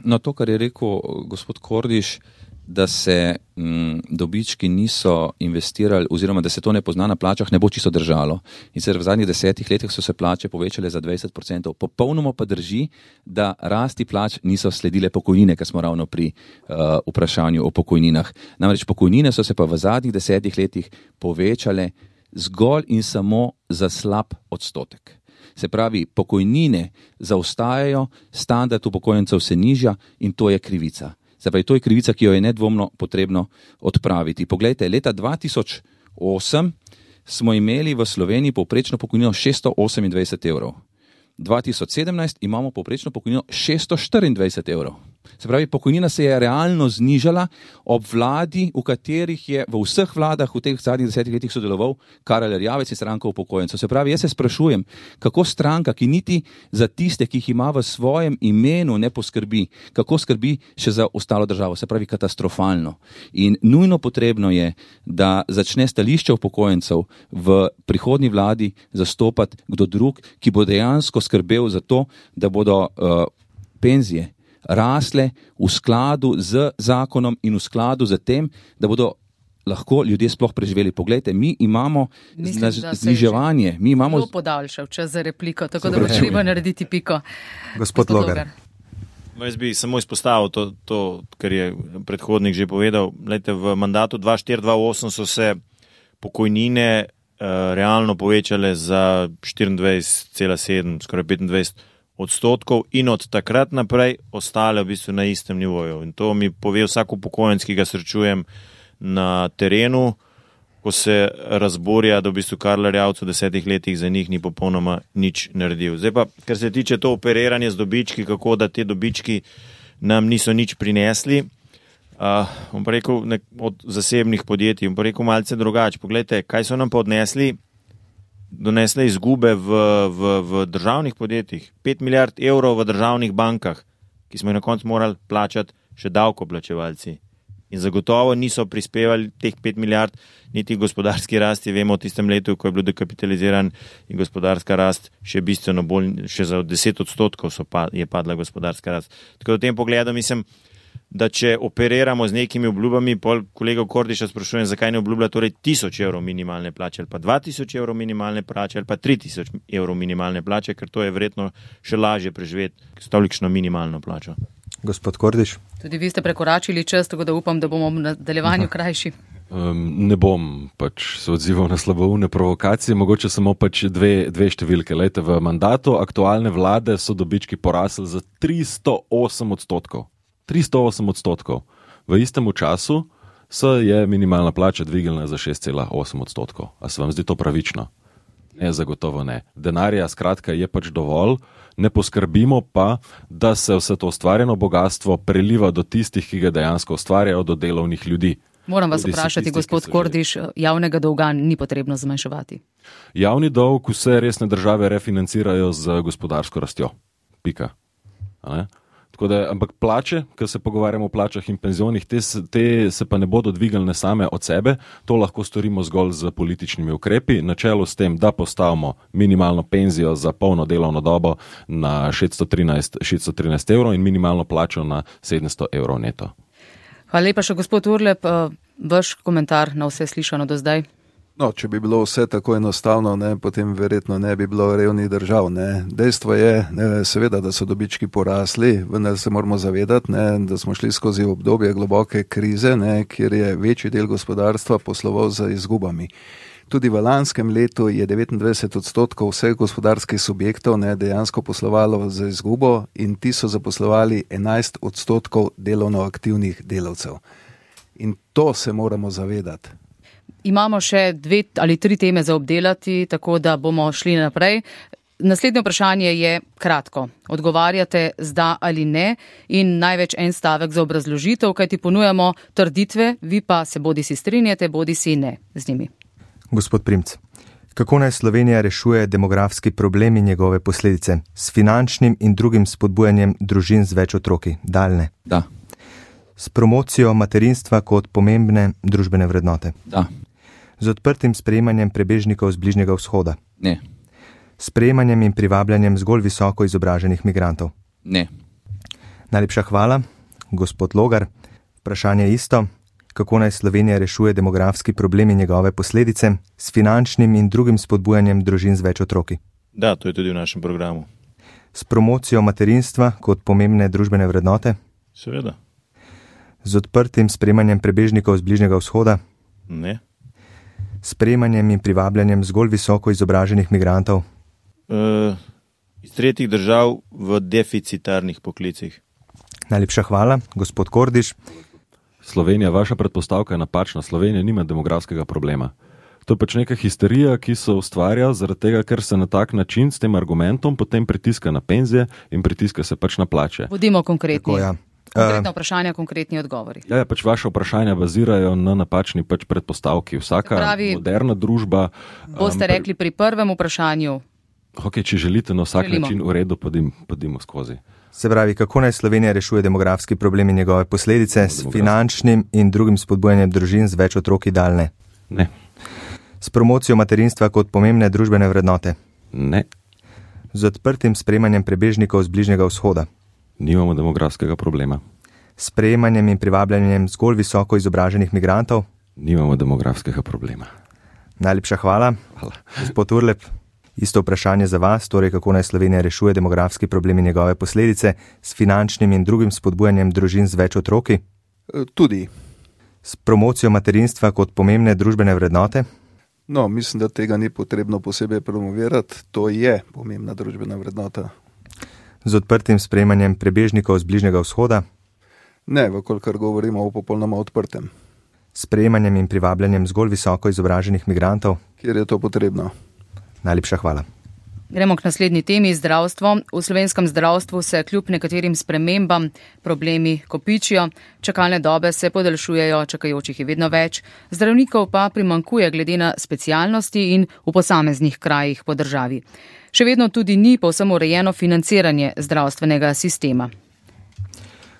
Speaker 4: No, to, kar je rekel gospod Kordiš, da se m, dobički niso investirali oziroma da se to ne pozna na plačah, ne bo čisto držalo. In sicer v zadnjih desetih letih so se plače povečale za dvajset procentov. Popolnoma pa drži, da rasti plač niso sledile pokojnine, ker smo ravno pri uh, vprašanju o pokojninah. Namreč pokojnine so se pa v zadnjih desetih letih povečale zgolj in samo za slab odstotek. Se pravi, pokojnine zaostajajo, standard upokojencev se nižja in to je krivica. Se pravi, to je krivica, ki jo je nedvomno potrebno odpraviti. Poglejte, leta dva tisoč osem smo imeli v Sloveniji povprečno pokojnino šeststo osemindvajset evrov. dva tisoč sedemnajst imamo povprečno pokojnino šeststo štiriindvajset evrov. Se pravi, pokojnina se je realno znižala ob vladi, v katerih je v vseh vladah v teh zadnjih desetih letih sodeloval Karel Erjavec in stranka upokojencev. Se pravi, jaz se sprašujem, kako stranka, ki niti za tiste, ki jih ima v svojem imenu, ne poskrbi, kako skrbi še za ostalo državo. Se pravi, katastrofalno. In nujno potrebno je, da začne stališče upokojencev v prihodnji vladi zastopati kdo drug, ki bo dejansko skrbel za to, da bodo uh, penzije rasle v skladu z zakonom in v skladu z tem, da bodo lahko ljudje sploh preživeli. Poglejte, mi imamo Mislim, zniževanje. Mi imamo
Speaker 2: zelo podaljšal čas za repliko, tako da bo treba narediti piko.
Speaker 3: Gospod Logar.
Speaker 5: Jaz bi samo izpostavil to, to, kar je predhodnik že povedal. Lejte, v mandatu dva tisoč štiri dva tisoč osem so se pokojnine uh, realno povečale za štiriindvajset cela sedem, skoraj petindvajset odstotkov in od takrat naprej ostale v bistvu na istem nivoju. In to mi pove vsak upokojenec, ki ga srečujem na terenu, ko se razborja, da v bistvu Karl Erjavec v desetih letih za njih ni popolnoma nič naredil. Zdaj pa, kar se tiče to operiranje z dobički, kako da te dobički nam niso nič prinesli, uh, bom pa rekel nek, od zasebnih podjetij, bom pa rekel malce drugače. Poglejte, kaj so nam pa odnesli? Donesle izgube v, v, v državnih podjetjih, pet milijard evrov v državnih bankah, ki smo jih na koncu morali plačati še davkoplačevalci. In zagotovo niso prispevali teh pet milijard niti gospodarski rasti. Vemo v tistem letu, ko je bil dekapitaliziran in gospodarska rast še bistveno bolj, še za deset odstotkov so pa, je padla gospodarska rast. Tako da v tem pogledu mislim, da če operiramo z nekimi obljubami, pol kolega Kordiša sprašujem, zakaj ne obljublja torej tisoč evrov minimalne plače ali pa dva tisoč evrov minimalne plače ali pa tri tisoč evrov minimalne plače, ker to je verjetno še lažje preživeti s tolikšno minimalno plačo.
Speaker 3: Gospod Kordiš?
Speaker 2: Tudi vi ste prekoračili čas, tako da upam, da bomo v nadaljevanju krajši.
Speaker 6: Um, ne bom pač se odzival na slaboumne provokacije, mogoče samo pač dve, dve številke. Lejte, v mandatu aktualne vlade so dobički porasli za tristo osem odstotkov. tristo osem odstotkov. V istem času se je minimalna plača dvignila za šest cela osem odstotkov. A se vam zdi to pravično? Ne, zagotovo ne. Denarja, skratka, je pač dovolj, ne poskrbimo pa, da se vse to ustvarjeno bogatstvo preliva do tistih, ki ga dejansko ustvarjajo, do delovnih ljudi.
Speaker 2: Moram vas vprašati, gospod Kordiš, javnega dolga ni potrebno zmanjševati.
Speaker 6: Javni dolg vse resne države refinancirajo z gospodarsko rastjo. Pika. A ne? Tako da, ampak plače, ko se pogovarjamo o plačah in penzionih, te, te se pa ne bodo dvignile same od sebe, to lahko storimo zgolj z političnimi ukrepi, na čelu s tem, da postavimo minimalno penzijo za polno delovno dobo na šeststo trinajst evrov in minimalno plačo na sedemsto evrov neto.
Speaker 2: Hvala lepa še gospod Urlep, vaš komentar na vse slišano do zdaj.
Speaker 7: No, če bi bilo vse tako enostavno, ne, potem verjetno ne bi bilo revnih držav. Ne. Dejstvo je, ne, seveda, da so dobički porasli, vendar se moramo zavedati, ne, da smo šli skozi obdobje globoke krize, ne, kjer je večji del gospodarstva posloval z izgubami. Tudi v lanskem letu je devetindvajset odstotkov vseh gospodarskih subjektov ne, dejansko poslovalo z izgubo in ti so zaposlovali enajst odstotkov delovno aktivnih delavcev. In to se moramo zavedati.
Speaker 2: Imamo še dve ali tri teme za obdelati, tako da bomo šli naprej. Naslednje vprašanje je kratko. Odgovarjate z da ali ne in največ en stavek za obrazložitev, kajti ponujamo trditve, vi pa se bodi si strinjate, bodi si ne z njimi.
Speaker 3: Gospod Primc, kako naj Slovenija rešuje demografski problem in njegove posledice? S finančnim in drugim spodbujanjem družin z več otroki? Daljne?
Speaker 4: Da.
Speaker 3: S promocijo materinstva kot pomembne družbene vrednote?
Speaker 4: Da.
Speaker 3: Z odprtim sprejemanjem prebežnikov z Bližnjega vzhoda?
Speaker 4: Ne.
Speaker 3: S sprejemanjem in privabljanjem zgolj visoko izobraženih migrantov?
Speaker 4: Ne.
Speaker 3: Najlepša hvala. Gospod Logar, vprašanje isto. Kako naj Slovenija rešuje demografski problem in njegove posledice s finančnim in drugim spodbujanjem družin z več otroki?
Speaker 5: Da, to je tudi v našem programu.
Speaker 3: S promocijo materinstva kot pomembne družbene vrednote?
Speaker 5: Seveda.
Speaker 3: Z odprtim sprejemanjem prebežnikov z Bližnjega vzhoda?
Speaker 5: Ne.
Speaker 3: S sprejemanjem in privabljanjem zgolj visoko izobraženih migrantov?
Speaker 5: Uh, iz tretjih držav v deficitarnih poklicih.
Speaker 3: Najlepša hvala. Gospod Kordiš.
Speaker 6: Slovenija, vaša predpostavka je napačna. Slovenija nima demografskega problema. To je pač neka histerija, ki se ustvarja zaradi tega, ker se na tak način s tem argumentom potem pritiska na penzije in pritiska se pač na plače.
Speaker 2: Bodimo konkretni.
Speaker 3: Tako, ja.
Speaker 2: Konkretna vprašanja, konkretni odgovori.
Speaker 6: Ja, ja, pač vaše vprašanja bazirajo na napačni pač predpostavki. Vsaka pravi, moderna družba...
Speaker 2: Boste um, rekli pri prvem vprašanju.
Speaker 6: Ok, če želite na vsak
Speaker 2: Želimo.
Speaker 6: način v redu, podim, podimo skozi.
Speaker 3: Se pravi, kako naj Slovenija rešuje demografski problem in njegove posledice s finančnim in drugim spodbujanjem družin z več otroki? Daljne?
Speaker 6: Ne.
Speaker 3: S promocijo materinstva kot pomembne družbene vrednote?
Speaker 6: Ne.
Speaker 3: Z odprtim sprejemanjem prebežnikov z Bližnjega vzhoda?
Speaker 6: Nimamo demografskega problema.
Speaker 3: S sprejemanjem in privabljanjem zgolj visoko izobraženih migrantov?
Speaker 6: Nimamo demografskega problema.
Speaker 3: Najlepša hvala.
Speaker 6: Hvala.
Speaker 3: Gospod Urlep, isto vprašanje za vas, torej kako naj Slovenija rešuje demografski problem in njegove posledice s finančnim in drugim spodbujanjem družin z več otroki?
Speaker 7: Tudi.
Speaker 3: S promocijo materinstva kot pomembne družbene vrednote?
Speaker 7: No, mislim, da tega ni potrebno posebej promovirati. To je pomembna družbena vrednota.
Speaker 3: Z odprtim sprejemanjem prebežnikov z Bližnjega vzhoda?
Speaker 7: Ne, vkolikor govorimo o popolnoma odprtem.
Speaker 3: S sprejemanjem in privabljanjem zgolj visoko izobraženih migrantov?
Speaker 7: Kjer je to potrebno.
Speaker 3: Najlepša hvala.
Speaker 2: Gremo k naslednji temi, zdravstvo. V slovenskem zdravstvu se kljub nekaterim spremembam problemi kopičijo, čakalne dobe se podaljšujejo, čakajočih je vedno več, zdravnikov pa primankuje glede na specialnosti in v posameznih krajih po državi. Še vedno tudi ni povsem urejeno financiranje zdravstvenega sistema.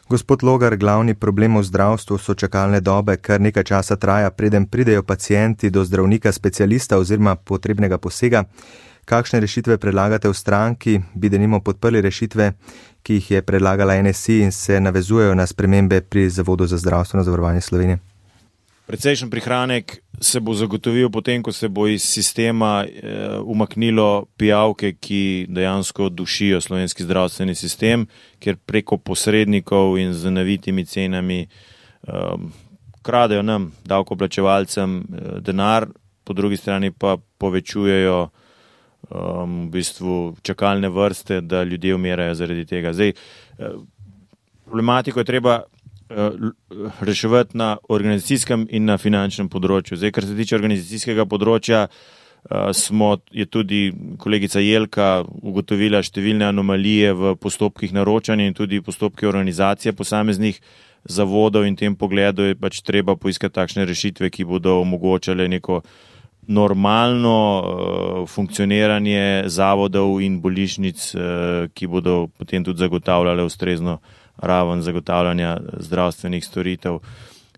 Speaker 3: Gospod Logar, glavni problem v zdravstvu so čakalne dobe, kar nekaj časa traja, preden pridejo pacienti do zdravnika specialista oziroma potrebnega posega. Kakšne rešitve predlagate v stranki? Bi denimo podprli rešitve, ki jih je predlagala N S I in se navezujejo na spremembe pri Zavodu za zdravstveno zavarovanje Slovenije?
Speaker 5: Precejšen prihranek se bo zagotovil potem, ko se bo iz sistema eh, umaknilo pijavke, ki dejansko dušijo slovenski zdravstveni sistem, ker preko posrednikov in z navitimi cenami eh, kradejo nam, davkoplačevalcem, eh, denar, po drugi strani pa povečujejo eh, v bistvu čakalne vrste, da ljudje umirajo zaradi tega. Zdaj, eh, problematiko je treba reševati na organizacijskem in na finančnem področju. Zdaj, kar se tiče organizacijskega področja, smo, je tudi kolegica Jelka ugotovila številne anomalije v postopkih naročanja in tudi postopki organizacije posameznih zavodov in v tem pogledu je pač treba poiskati takšne rešitve, ki bodo omogočale neko normalno uh, funkcioniranje zavodov in bolnišnic, uh, ki bodo potem tudi zagotavljale ustrezno raven zagotavljanja zdravstvenih storitev.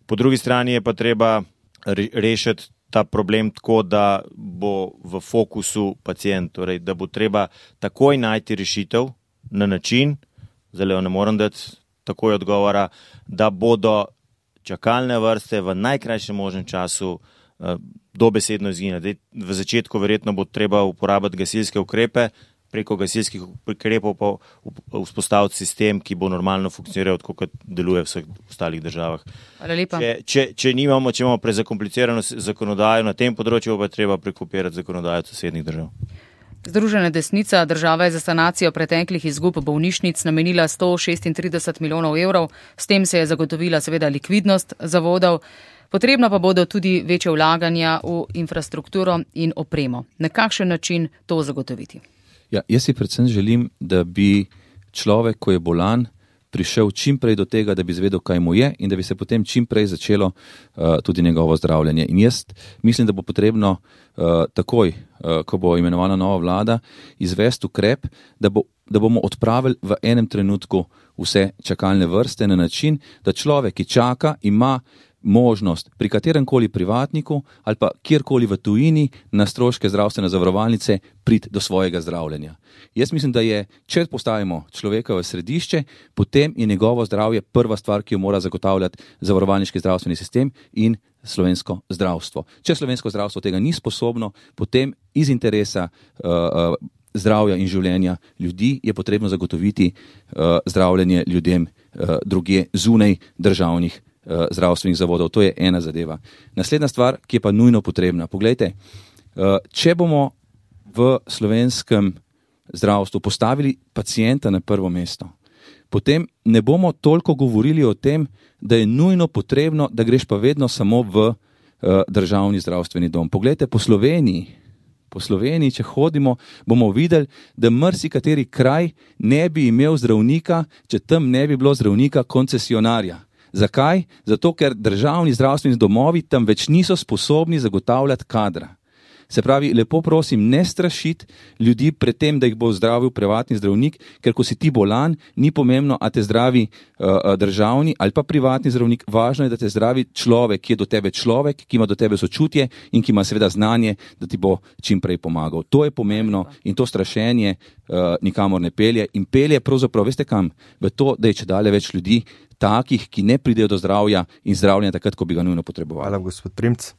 Speaker 5: Po drugi strani je pa treba rešiti ta problem tako, da bo v fokusu pacient, torej da bo treba takoj najti rešitev na način, zdaj ne morem dati takoj odgovora, da bodo čakalne vrste v najkrajšem možnem času dobesedno izginila. V začetku verjetno bo treba uporabiti gasilske ukrepe, preko gasilskih ukrepov pa vzpostaviti sistem, ki bo normalno funkcioniral, tako kot deluje v vseh ostalih državah.
Speaker 2: Hvala lepa.
Speaker 5: Če, če, če nimamo, če imamo prezakomplicirano zakonodajo na tem področju, pa je treba prekopirati zakonodajo sosednjih držav.
Speaker 2: Združena desnica država je za sanacijo preteklih izgub bolnišnic namenila sto šestintrideset milijonov evrov, s tem se je zagotovila seveda likvidnost zavodov. Potrebna pa bodo tudi večje vlaganja v infrastrukturo in opremo. Na kakšen način to zagotoviti?
Speaker 4: Ja, jaz si predvsem želim, da bi človek, ko je bolan, prišel čim prej do tega, da bi izvedel, kaj mu je in da bi se potem čim prej začelo uh, tudi njegovo zdravljenje. In jaz mislim, da bo potrebno uh, takoj, uh, ko bo imenovana nova vlada, izvesti ukrep, da, bo, da bomo odpravili v enem trenutku vse čakalne vrste na način, da človek, ki čaka, ima možnost pri kateremkoli privatniku ali pa kjerkoli v tujini na stroške zdravstvene zavarovalnice priti do svojega zdravljenja. Jaz mislim, da je, če postavimo človeka v središče, potem je njegovo zdravje prva stvar, ki jo mora zagotavljati zavarovalniški zdravstveni sistem in slovensko zdravstvo. Če slovensko zdravstvo tega ni sposobno, potem iz interesa uh, uh, zdravja in življenja ljudi je potrebno zagotoviti uh, zdravljenje ljudem uh, drugje zunaj državnih zdravstvenih zavodov. To je ena zadeva. Naslednja stvar, ki je pa nujno potrebna. Poglejte, če bomo v slovenskem zdravstvu postavili pacienta na prvo mesto, potem ne bomo toliko govorili o tem, da je nujno potrebno, da greš pa vedno samo v državni zdravstveni dom. Poglejte, po Sloveniji, po Sloveniji, če hodimo, bomo videli, da marsikateri kraj ne bi imel zdravnika, če tam ne bi bilo zdravnika koncesionarja. Zakaj? Zato, ker državni zdravstveni domovi tam več niso sposobni zagotavljati kadra. Se pravi, lepo prosim, ne strašiti ljudi pred tem, da jih bo zdravil privatni zdravnik, ker ko si ti bolan, ni pomembno, a te zdravi uh, državni ali pa privatni zdravnik. Važno je, da te zdravi človek, ki je do tebe človek, ki ima do tebe sočutje in ki ima seveda znanje, da ti bo čim prej pomagal. To je pomembno in to strašenje uh, nikamor ne pelje. In pelje pravzaprav, veste kam? V to, da je čedalje več ljudi takih, ki ne pridejo do zdravja in zdravljenja takrat, ko bi ga nujno potrebovali.
Speaker 3: Hvala, gospod Primc.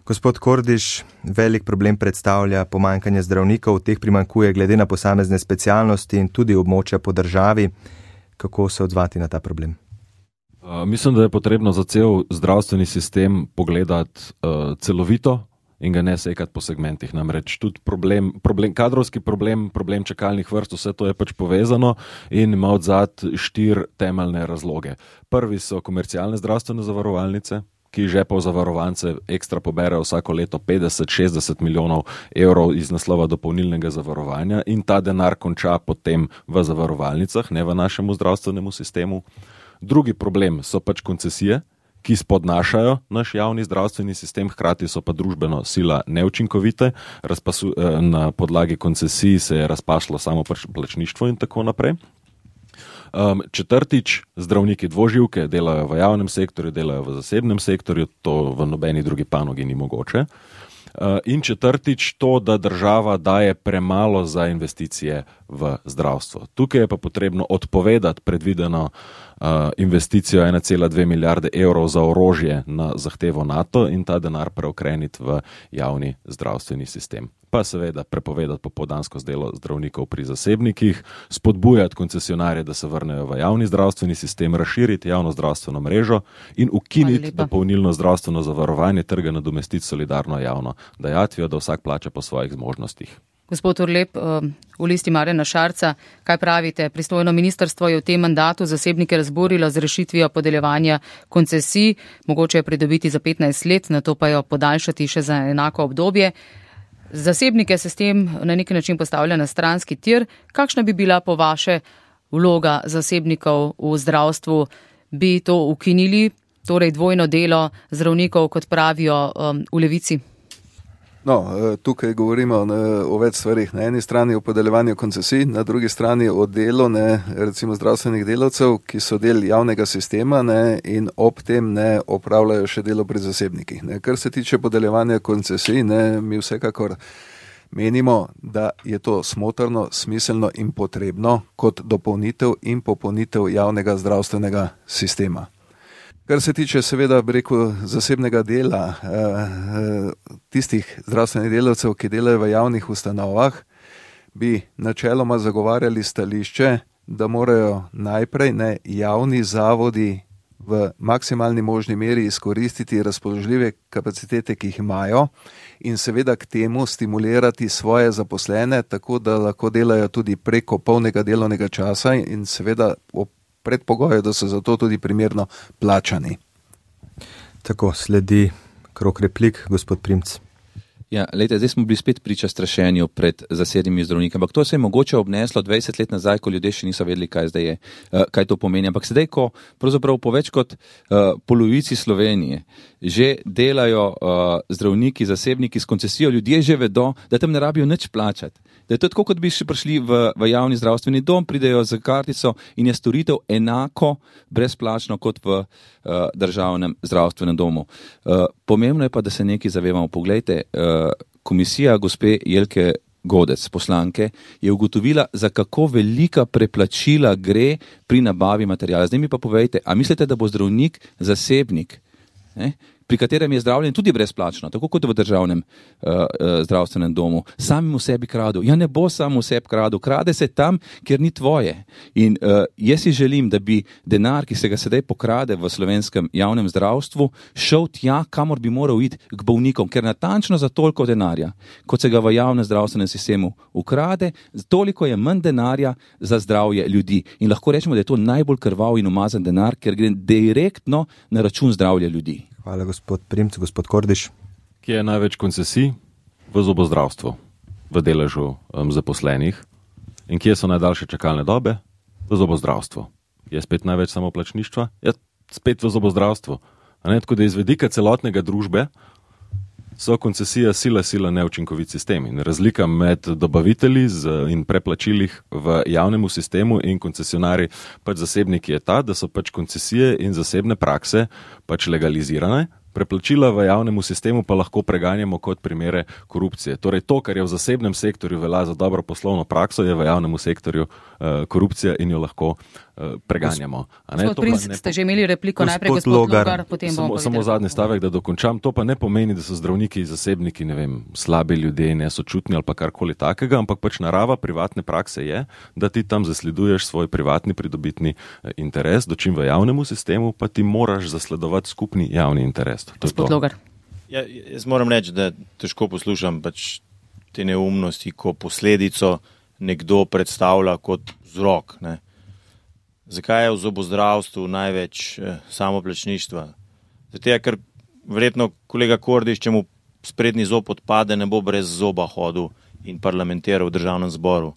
Speaker 3: Gospod Kordiš, velik problem predstavlja pomanjkanje zdravnikov, teh primanjkuje glede na posamezne specialnosti in tudi območja po državi. Kako se odzvati na ta problem?
Speaker 6: Uh, mislim, da je potrebno za cel zdravstveni sistem pogledati uh, celovito in ga ne sekati po segmentih. Namreč tudi problem, problem, kadrovski problem, problem čakalnih vrst, vse to je pač povezano in ima odzad štiri temeljne razloge. Prvi so komercialne zdravstvene zavarovalnice, ki žepov zavarovance ekstra poberejo vsako leto petdeset do šestdeset milijonov evrov iz naslova dopolnilnega zavarovanja in ta denar konča potem v zavarovalnicah, ne v našemu zdravstvenemu sistemu. Drugi problem so pač koncesije, ki spodnašajo naš javni zdravstveni sistem, hkrati so pa družbeno sila neučinkovite, Razpasu, na podlagi koncesij se je razpaslo samo plačništvo in tako naprej. Um, četrtič, zdravniki dvoživke delajo v javnem sektorju, delajo v zasebnem sektorju, to v nobeni drugi panogi ni mogoče. Uh, in četrtič, to, da država daje premalo za investicije v zdravstvo. Tukaj je pa potrebno odpovedati predvideno uh, investicijo ena cela dve milijarde evrov za orožje na zahtevo NATO in ta denar preokreniti v javni zdravstveni sistem. Pa seveda prepovedati popoldansko delo zdravnikov pri zasebnikih, spodbujati koncesionarje, da se vrnejo v javni zdravstveni sistem, razširiti javno zdravstveno mrežo in ukiniti dopolnilno zdravstveno zavarovanje, trga nadomestiti solidarno javno dajatvijo, da vsak plača po svojih zmožnostih.
Speaker 2: Gospod Urlep, v Listi Marjana Šarca, kaj pravite? Pristojno ministrstvo je v tem mandatu zasebnike razburilo z rešitvijo podeljevanja koncesij, mogoče je pridobiti za petnajst let, nato pa jo podaljšati še za enako obdobje. Zasebnike se s tem na neki način postavlja na stranski tir. Kakšna bi bila po vaše vloga zasebnikov v zdravstvu? Bi to ukinili, torej dvojno delo zdravnikov, kot pravijo um, v Levici?
Speaker 7: No, tukaj govorimo o več stvarih. Na eni strani o podeljevanju koncesij, na drugi strani o delu ne, recimo zdravstvenih delavcev, ki so del javnega sistema ne, in ob tem ne opravljajo še delo pri zasebnikih. Ne. Kar se tiče podeljevanja koncesij, ne, mi vsekakor menimo, da je to smotrno, smiselno in potrebno kot dopolnitev in popolnitev javnega zdravstvenega sistema. Kar se tiče seveda, bi rekel, zasebnega dela, tistih zdravstvenih delavcev, ki delajo v javnih ustanovah, bi načeloma zagovarjali stališče, da morajo najprej ne javni zavodi v maksimalni možni meri izkoristiti razpoložljive kapacitete, ki jih imajo, in seveda k temu stimulirati svoje zaposlene, tako da lahko delajo tudi preko polnega delovnega časa in seveda ob predpogoju, da so za to tudi primerno plačani.
Speaker 3: Tako, sledi krog replik, gospod Primc.
Speaker 4: Ja, lejte, zdaj smo bili spet priča strašenju pred zasebnimi zdravniki, ampak to se je mogoče obneslo dvajset let nazaj, ko ljudje še niso vedeli, kaj zdaj je, kaj to pomeni. Ampak sedaj, ko pravzaprav po več kot uh, polovici Slovenije že delajo uh, zdravniki, zasebniki s koncesijo, ljudje že vedo, da tam ne rabijo nič plačati. Da je to tako, kot bi še prišli v, v javni zdravstveni dom, pridejo za kartico in je storitev enako brezplačno kot v uh, državnem zdravstvenem domu. Uh, pomembno je pa, da se nekaj zavevamo. Poglejte, uh, komisija gospe Jelke Godec, poslanke, je ugotovila, za kako velika preplačila gre pri nabavi materijala. Zdaj mi pa povejte, a mislite, da bo zdravnik zasebnik, ne, pri katerem je zdravljenje tudi brezplačno, tako kot v državnem uh, uh, zdravstvenem domu, samim v sebi kradu. Ja, ne bo sam v sebi kradu, krade se tam, kjer ni tvoje. In uh, jaz si želim, da bi denar, ki se ga sedaj pokrade v slovenskem javnem zdravstvu, šel tja, kamor bi moral iti k bolnikom, ker natančno za toliko denarja, kot se ga v javnem zdravstvenem sistemu ukrade, toliko je manj denarja za zdravje ljudi. In lahko rečemo, da je to najbolj krvav in umazan denar, ker gre direktno na račun zdravja ljudi.
Speaker 3: Hvala, gospod Primc. Gospod Kordiš.
Speaker 6: Kje je največ koncesij? V zobozdravstvu, v deležu um, zaposlenih. In kje so najdaljše čakalne dobe? V zobozdravstvu. Je spet največ samoplačništva? Je spet v zobozdravstvu. A ne, tako da iz vidika celotnega družbe so koncesija sila, sila neučinkovit sistem. In razlika med dobavitelji in preplačilih v javnemu sistemu in koncesionari pač zasebniki je ta, da so pač koncesije in zasebne prakse pač legalizirane, preplačila v javnemu sistemu pa lahko preganjamo kot primere korupcije. Torej to, kar je v zasebnem sektorju velja za dobro poslovno prakso, je v javnem sektorju uh, korupcija in jo lahko uh, preganjamo.
Speaker 2: Gospod Primc, ste že imeli repliko,
Speaker 3: gospod
Speaker 2: najprej gospod Logar, Logar potem bomo
Speaker 6: povedali. Samo zadnji stavek, da dokončam. To pa ne pomeni, da so zdravniki in zasebniki, ne vem, slabi ljudje, nesočutni ali pa karkoli takega, ampak pač narava privatne prakse je, da ti tam zasleduješ svoj privatni pridobitni interes, dočim v javnemu sistemu pa ti moraš zasledovati skupni javni interes.
Speaker 2: Gospod Logar.
Speaker 5: Ja, jaz moram reči, da težko poslušam pač te neumnosti, ko posledico nekdo predstavlja kot vzrok. Ne. Zakaj je v zobozdravstvu največ eh, samoplačništva? Zato je, ker verjetno kolega Kordiš, če mu sprednji zob odpade, ne bo brez zoba hodil in parlamentiral v državnem zboru.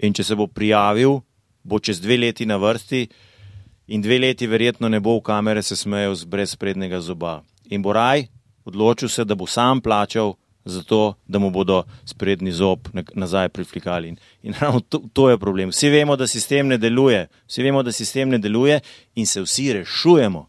Speaker 5: In če se bo prijavil, bo čez dve leti na vrsti in dve leti verjetno ne bo v kamere se smejal brez sprednjega zoba. In bo raj odločil se, da bo sam plačal za to, da mu bodo sprednji zob nazaj priflikali. In, in ravno to, to je problem. Vsi vemo, da sistem ne deluje. Vsi vemo, da sistem ne deluje in se vsi rešujemo.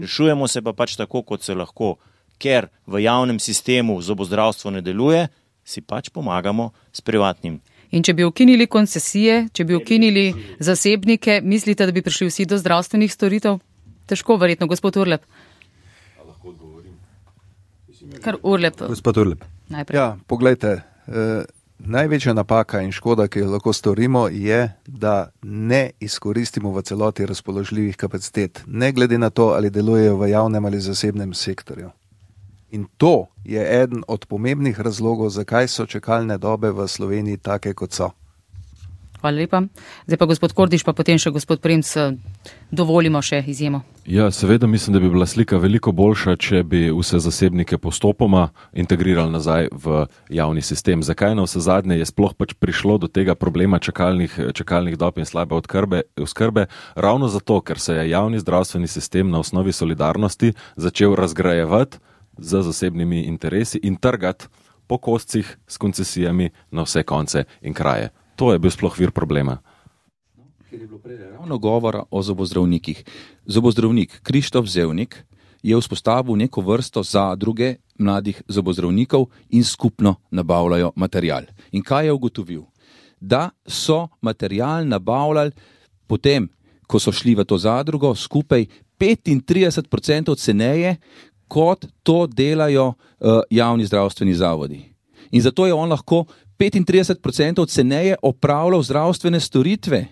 Speaker 5: Rešujemo se pa pač tako, kot se lahko. Ker v javnem sistemu zobozdravstvo ne deluje, si pač pomagamo s privatnim.
Speaker 2: In če bi ukinili koncesije, če bi ukinili zasebnike, mislite, da bi prišli vsi do zdravstvenih storitev? Težko, verjetno, gospod Urlep. Kar Urlep.
Speaker 3: Gospod Urlep.
Speaker 2: Najprej.
Speaker 7: Ja, poglejte, eh, največja napaka in škoda, ki jo lahko storimo, je, da ne izkoristimo v celoti razpoložljivih kapacitet, ne glede na to, ali delujejo v javnem ali zasebnem sektorju. In to je eden od pomembnih razlogov, zakaj so čakalne dobe v Sloveniji take, kot so.
Speaker 2: Hvala lepa. Zdaj pa gospod Kordiš, pa potem še gospod Primc, dovolimo še izjemo.
Speaker 6: Ja, seveda mislim, da bi bila slika veliko boljša, če bi vse zasebnike postopoma integrirali nazaj v javni sistem. Zakaj na vse zadnje je sploh pač prišlo do tega problema čakalnih, čakalnih dob in slabe odkrbe, oskrbe? Ravno zato, ker se je javni zdravstveni sistem na osnovi solidarnosti začel razgrajevati z zasebnimi interesi in trgati po koscih s koncesijami na vse konce in kraje. To je bil sploh vir problema.
Speaker 4: Ker je bilo prej ravno govora o zobozdravnikih. Zobozdravnik Krištof Zevnik je vzpostavil neko vrsto zadruge mladih zobozdravnikov in skupno nabavljajo material. In kaj je ugotovil? Da so material nabavljali potem, ko so šli v to zadrugo, skupaj petintrideset odstotkov ceneje, kot to delajo uh, javni zdravstveni zavodi. In zato je on lahko petintrideset odstotkov ceneje opravljal zdravstvene storitve.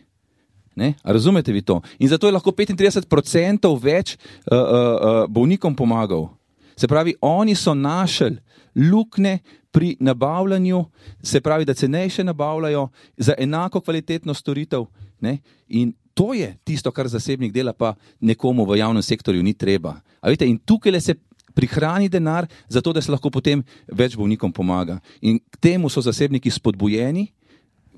Speaker 4: Ne? A razumete vi to? In zato je lahko petintrideset odstotkov več uh, uh, uh, bolnikom pomagal. Se pravi, oni so našli lukne pri nabavljanju, se pravi, da cenejše nabavljajo za enako kvalitetno storitev. Ne? In to je tisto, kar zasebnik dela, pa nekomu v javnem sektorju ni treba. A vidite, in tukaj le se prihrani denar, zato da se lahko potem več bolnikom pomaga. In k temu so zasebniki spodbujeni,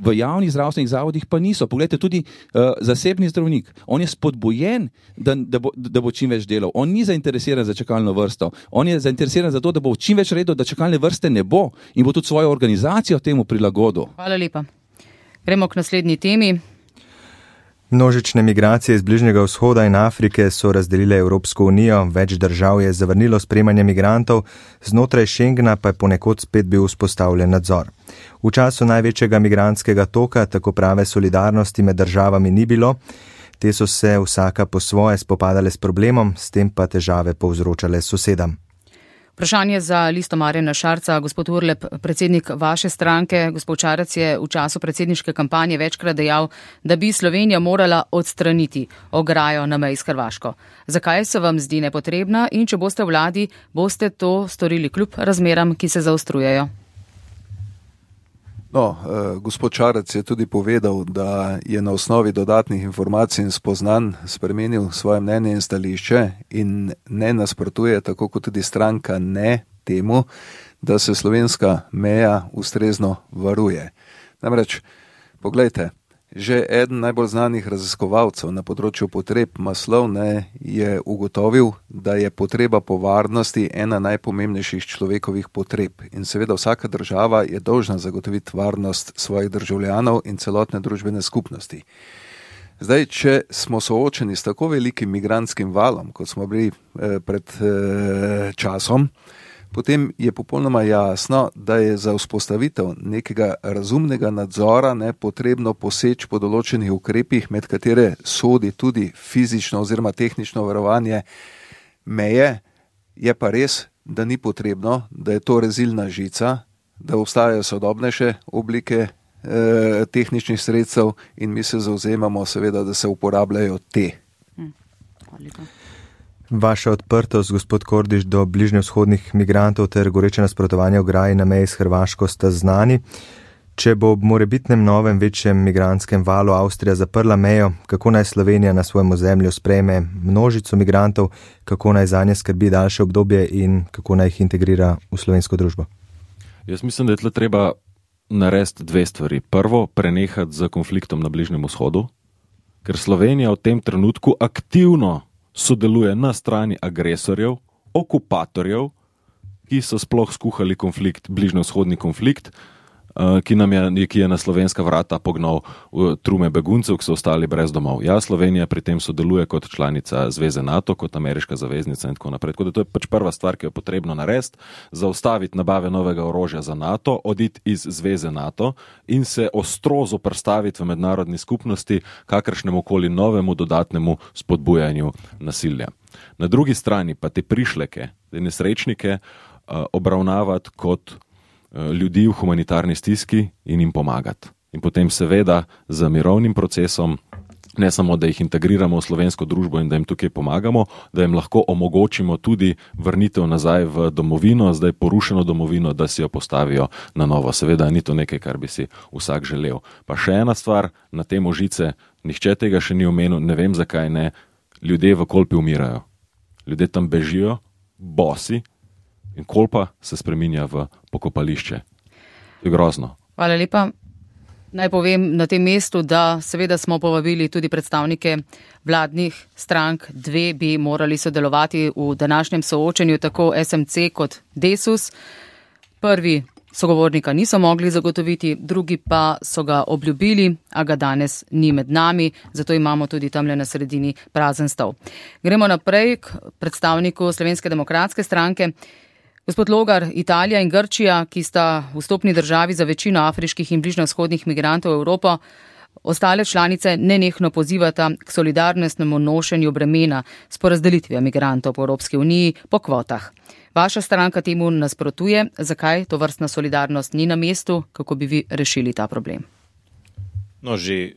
Speaker 4: v javnih zdravstvenih zavodih pa niso. Poglejte, tudi uh, zasebni zdravnik, on je spodbujen, da, da, bo, da bo čim več delal. On ni zainteresiran za čakalno vrsto. On je zainteresiran za to, da bo čim več redel, da čakalne vrste ne bo in bo tudi svojo organizacijo temu prilagodil.
Speaker 2: Hvala lepa. Gremo k naslednji temi.
Speaker 3: Množične migracije iz Bližnjega vzhoda in Afrike so razdelile Evropsko unijo, več držav je zavrnilo sprejemanje migrantov, znotraj Schengena pa je ponekod spet bil vzpostavljen nadzor. V času največjega migrantskega toka tako prave solidarnosti med državami ni bilo, te so se vsaka po svoje spopadale s problemom, s tem pa težave povzročale sosedam.
Speaker 2: Vprašanje za Listo Marjana Šarca. Gospod Urlep, predsednik vaše stranke, gospod Šarec je v času predsedniške kampanje večkrat dejal, da bi Slovenija morala odstraniti ograjo na meji s Hrvaško. Zakaj se vam zdi nepotrebna in če boste v vladi, boste to storili kljub razmeram, ki se zaostrujejo?
Speaker 7: No, eh, gospod Šarec je tudi povedal, da je na osnovi dodatnih informacij in spoznanj spremenil svoje mnenje in stališče in ne nasprotuje, tako kot tudi stranka ne temu, da se slovenska meja ustrezno varuje. Namreč, poglejte, že eden najbolj znanih raziskovalcev na področju potreb Maslov ne je ugotovil, da je potreba po varnosti ena najpomembnejših človekovih potreb. In seveda vsaka država je dolžna zagotoviti varnost svojih državljanov in celotne družbene skupnosti. Zdaj, če smo soočeni s tako velikim migrantskim valom, kot smo bili eh, pred eh, časom, potem je popolnoma jasno, da je za vzpostavitev nekega razumnega nadzora ne potrebno poseči po določenih ukrepih, med katere sodi tudi fizično oziroma tehnično varovanje meje. Je pa res, da ni potrebno, da je to rezilna žica, da obstajajo sodobnejše oblike eh, tehničnih sredstev in mi se zavzemamo seveda, da se uporabljajo te.
Speaker 2: Hm. Hvala lepa.
Speaker 3: Vaša odprtost, gospod Kordiš, do bližnjevzhodnih migrantov ter goreče nasprotovanje ograji na meji s Hrvaško sta znani. Če bo ob morebitnem novem večjem migrantskem valu Avstrija zaprla mejo, kako naj Slovenija na svojem ozemlju sprejme množico migrantov, kako naj zanje skrbi daljše obdobje in kako naj jih integrira v slovensko družbo?
Speaker 6: Jaz mislim, da je tle treba narediti dve stvari. Prvo, prenehati z konfliktom na Bližnjem vzhodu, ker Slovenija v tem trenutku aktivno sodeluje na strani agresorjev, okupatorjev, ki so sploh skuhali konflikt, bližnjevzhodni konflikt, ki, nam je, ki je na slovenska vrata pognal trume beguncev, ki so ostali brez domov. Ja, Slovenija pri tem sodeluje kot članica Zveze NATO, kot ameriška zaveznica in tako naprej. Tako da to je pač prva stvar, ki jo je potrebno narediti, zaustaviti nabave novega orožja za NATO, oditi iz Zveze NATO in se ostro zoperstaviti v mednarodni skupnosti kakršnemu koli novemu dodatnemu spodbujanju nasilja. Na drugi strani pa te prišleke, te nesrečnike obravnavati kot ljudi v humanitarni stiski in jim pomagati. In potem seveda z mirovnim procesom, ne samo, da jih integriramo v slovensko družbo in da jim tukaj pomagamo, da jim lahko omogočimo tudi vrnitev nazaj v domovino, zdaj porušeno domovino, da si jo postavijo na novo. Seveda ni to nekaj, kar bi si vsak želel. Pa še ena stvar, na tem Ožice, nihče tega še ni omenil, ne vem zakaj ne, ljudje v Kolpi umirajo. Ljudje tam bežijo, bosi, in Kolpa se spreminja v pokopališče. To je grozno.
Speaker 2: Hvala lepa. Naj povem na tem mestu, da seveda smo povabili tudi predstavnike vladnih strank. Dve bi morali sodelovati v današnjem soočenju, tako S M C kot Desus. Prvi sogovornika niso mogli zagotoviti, drugi pa so ga obljubili, a ga danes ni med nami, zato imamo tudi tamle na sredini prazen stol. Gremo naprej k predstavniku Slovenske demokratske stranke. Gospod Logar, Italija in Grčija, ki sta vstopni državi za večino afriških in bližnjevzhodnih migrantov v Evropo, Ostale članice nenehno pozivata k solidarnostnemu nošenju bremena s porazdelitvijo migrantov po Evropski uniji po kvotah. Vaša stranka temu nasprotuje. Zakaj to vrstna solidarnost ni na mestu? Kako bi vi rešili ta problem?
Speaker 5: No, že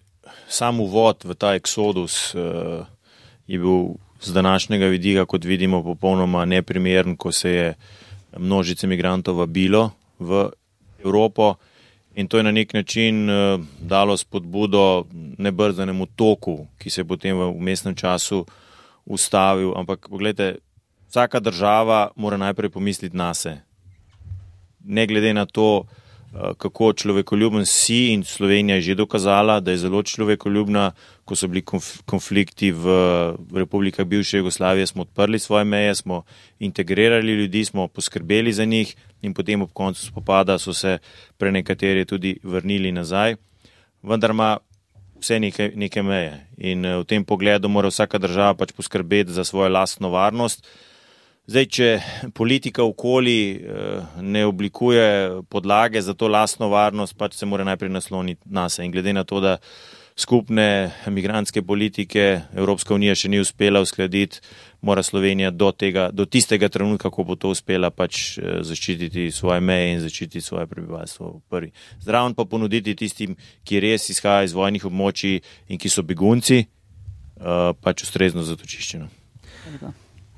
Speaker 5: sam uvod v ta eksodus uh, je bil z današnjega vidika, kot vidimo, popolnoma neprimeren, ko se je množice migrantov vabilo v Evropo in to je na nek način uh, dalo spodbudo nebrzdanemu toku, ki se je potem v vmesnem času ustavil. Ampak pogledajte, vsaka država mora najprej pomisliti nase. Ne glede na to, kako človekoljuben si, in Slovenija je že dokazala, da je zelo človekoljubna. Ko so bili konflikti v republikah bivše Jugoslavije, smo odprli svoje meje, smo integrirali ljudi, smo poskrbeli za njih in potem ob koncu spopada so se prenekateri tudi vrnili nazaj. Vendar ima vse neke, neke meje in v tem pogledu mora vsaka država pač poskrbeti za svojo lastno varnost. Zdaj, če politika okoli ne oblikuje podlage za to lastno varnost, pač se mora najprej nasloniti nase. In glede na to, da skupne migrantske politike Evropska unija še ni uspela uskladiti, mora Slovenija do tega, do tistega trenutka, ko bo to uspela, pač zaščititi svoje meje in zaščititi svoje prebivalstvo prvi. Zraven pa ponuditi tistim, ki res izhajajo iz vojnih območij in ki so begunci, pač ustrezno zatočiščeno.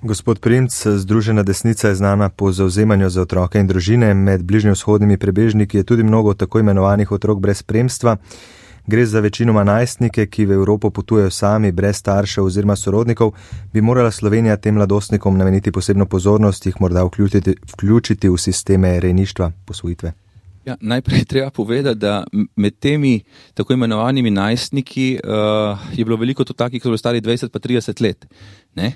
Speaker 3: Gospod Primc, Združena desnica je znana po zavzemanju za otroke in družine. Med bližnjevzhodnimi prebežniki je tudi mnogo tako imenovanih otrok brez spremstva. Gre za večinoma najstnike, ki v Evropo potujejo sami, brez staršev oziroma sorodnikov. Bi morala Slovenija tem mladostnikom nameniti posebno pozornost, jih morda vključiti, vključiti v sisteme rejništva, posvojitve?
Speaker 4: Ja, najprej treba povedati, da med temi tako imenovanimi najstniki uh, je bilo veliko tudi takih, ki so bili stari dvajset pa trideset let. Ne?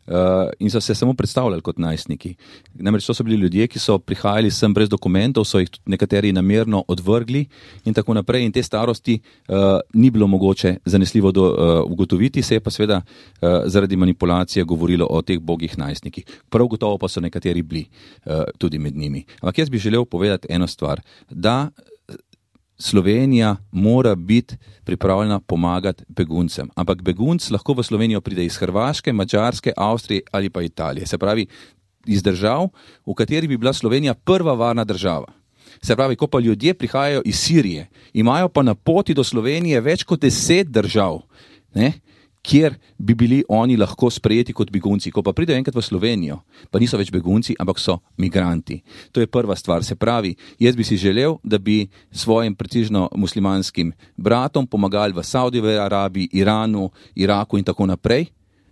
Speaker 4: Uh, in so se samo predstavljali kot najstniki. Namreč to so bili ljudje, ki so prihajali sem brez dokumentov, so jih nekateri namerno odvrgli in tako naprej, in te starosti uh, ni bilo mogoče zanesljivo do, uh, ugotoviti, se je pa seveda uh, zaradi manipulacije govorilo o teh bogih najstnikih. Prav gotovo pa so nekateri bili uh, tudi med njimi. Ampak jaz bi želel povedati eno stvar, da Slovenija mora biti pripravljena pomagati beguncem. Ampak begunc lahko v Slovenijo pride iz Hrvaške, Madžarske, Avstrije ali pa Italije. Se pravi, iz držav, v kateri bi bila Slovenija prva varna država. Se pravi, ko pa ljudje prihajajo iz Sirije, imajo pa na poti do Slovenije več kot deset držav, ne, kjer bi bili oni lahko sprejeti kot begunci. Ko pa pridejo enkrat v Slovenijo, pa niso več begunci, ampak so migranti. To je prva stvar. Se pravi, jaz bi si želel, da bi svojim precižno muslimanskim bratom pomagali v Saudijski Arabiji, Iranu, Iraku in tako naprej,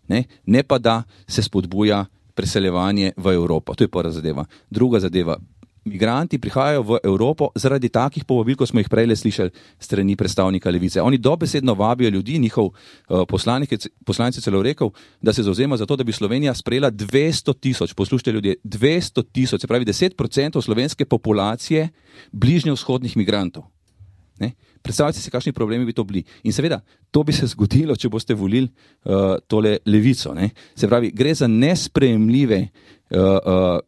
Speaker 4: ne, ne pa da se spodbuja preseljevanje v Evropo. To je prva zadeva. Druga zadeva. Migranti prihajajo v Evropo zaradi takih povabil, ko smo jih prej slišali strani predstavnika Levice. Oni dobesedno vabijo ljudi, njihov uh, poslanik, poslanec je celo rekel, da se zavzema za to, da bi Slovenija sprejela dvesto tisoč, poslušajte ljudje, dvesto tisoč, se pravi deset procentov slovenske populacije bližnjevzhodnih migrantov. Ne? Predstavljajte si, kakšni problemi bi to bili. In seveda, to bi se zgodilo, če boste volili uh, tole Levico. Ne? Se pravi, gre za nesprejemljive uh, uh,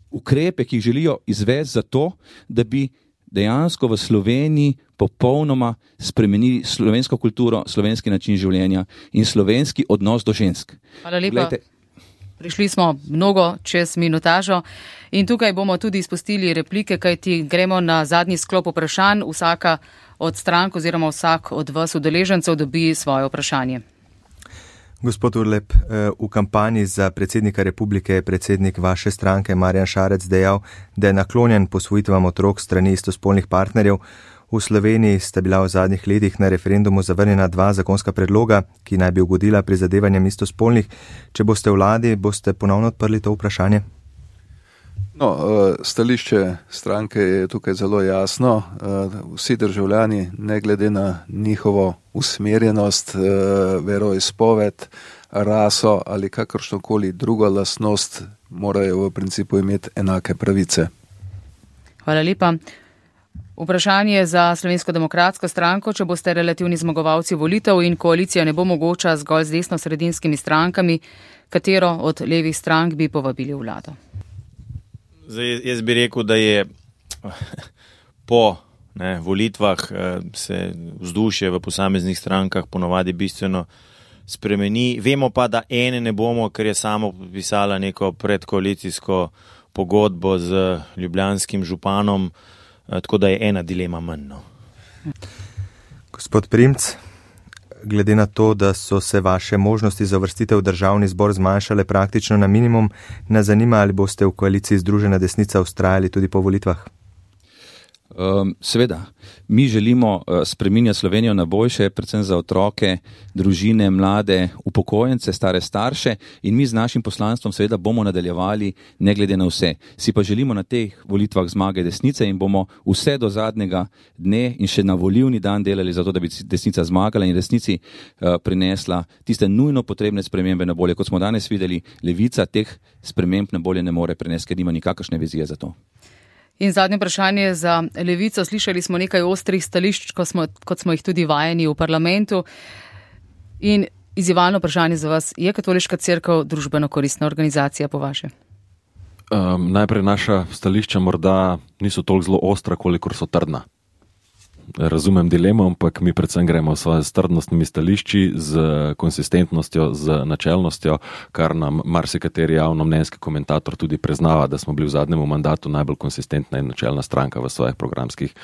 Speaker 4: ukrepe, ki jih želijo izvesti za to, da bi dejansko v Sloveniji popolnoma spremenili slovensko kulturo, slovenski način življenja in slovenski odnos do žensk.
Speaker 2: Hvala lepa. Glejte, prišli smo mnogo čez minutažo in tukaj bomo tudi izpustili replike, kajti gremo na zadnji sklop vprašanj. Vsaka od strank oziroma vsak od vas udeležencev dobi svoje vprašanje.
Speaker 3: Gospod Urlep, v kampanji za predsednika republike je predsednik vaše stranke Marjan Šarec dejal, da je naklonjen posvojitvam otrok strani istospolnih partnerjev. V Sloveniji sta bila v zadnjih letih na referendumu zavrnjena dva zakonska predloga, ki naj bi ugodila prizadevanjem istospolnih. Če boste v vladi, boste ponovno odprli to vprašanje?
Speaker 7: No, stališče stranke je tukaj zelo jasno. Vsi državljani, ne glede na njihovo usmerjenost, veroizpoved, raso ali kakršnokoli drugo lastnost, morajo v principu imeti enake pravice.
Speaker 2: Hvala lepa. Vprašanje za Slovensko demokratsko stranko, če boste relativni zmagovalci volitev in koalicija ne bo mogoča zgolj z desno-sredinskimi strankami, katero od levih strank bi povabili v vlado?
Speaker 5: Zdaj, jaz bi rekel, da je po ne, volitvah se vzdušje v posameznih strankah ponovadi bistveno spremeni. Vemo pa, da ene ne bomo, ker je samo podpisala neko predkoalicijsko pogodbo z ljubljanskim županom, tako da je ena dilema manj. No.
Speaker 3: Gospod Primc, glede na to, da so se vaše možnosti za uvrstitev v državni zbor zmanjšale praktično na minimum, nas zanima, ali boste v koaliciji Združena desnica vztrajali tudi po volitvah?
Speaker 4: Um, seveda, mi želimo uh, spreminjati Slovenijo na boljše, predvsem za otroke, družine, mlade, upokojence, stare starše, in mi z našim poslanstvom seveda bomo nadaljevali ne glede na vse. Si pa želimo na teh volitvah zmage desnice in bomo vse do zadnjega dne in še na volilni dan delali za to, da bi desnica zmagala in resnici uh, prinesla tiste nujno potrebne spremembe na bolje. Kot smo danes videli, levica teh sprememb na bolje ne more prenesti, ker nima nikakršne vizije za to.
Speaker 2: In zadnje vprašanje za Levico. Slišali smo nekaj ostrih stališč, kot smo, kot smo jih tudi vajeni v parlamentu. In izzivalno vprašanje za vas, je Katoliška cerkev družbeno koristna organizacija po vaše?
Speaker 6: Um, najprej naša stališča morda niso toliko zelo ostra, kolikor so trdna. Razumem dilemo, ampak mi predvsem gremo s trdnostnimi stališči, z konsistentnostjo, z načelnostjo, kar nam marsikateri javnomnenjski komentator tudi priznava, da smo bili v zadnjem mandatu najbolj konsistentna in načelna stranka v svojih programskih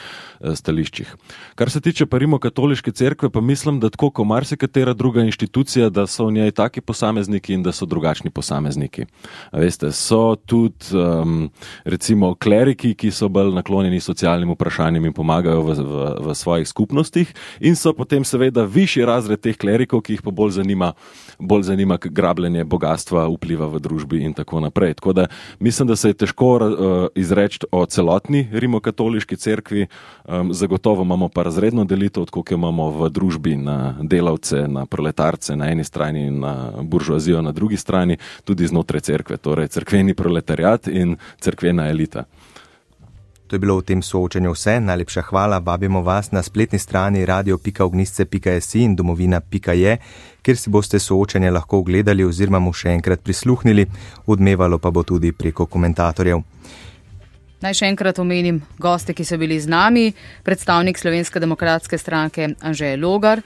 Speaker 6: stališčih. Kar se tiče pa Rimokatoliške cerkve, pa mislim, da tako kot marsikatera druga inštitucija, da so v njej taki posamezniki in da so drugačni posamezniki. A veste, so tudi um, recimo kleriki, ki so bolj naklonjeni socialnim vprašanjem in pomagajo v, v v svojih skupnostih, in so potem seveda višji razred teh klerikov, ki jih pa bolj zanima, bolj zanima grabljenje bogatstva, vpliva v družbi in tako naprej. Tako da mislim, da se je težko uh, izreči o celotni Rimokatoliški cerkvi, um, zagotovo imamo pa razredno delitev, tako kot imamo v družbi na delavce, na proletarce na eni strani in na buržoazijo na drugi strani, tudi znotraj cerkve, torej cerkveni proletariat in cerkvena elita.
Speaker 3: To je bilo v tem soočenju vse. Najlepša hvala. Vabimo vas na spletni strani radio pika ognjišče pika si in domovina pika je, kjer si boste soočenje lahko ogledali oziroma mu še enkrat prisluhnili. Odmevalo pa bo tudi preko komentatorjev.
Speaker 2: Naj še enkrat omenim goste, ki so bili z nami. Predstavnik Slovenske demokratske stranke Anže Logar,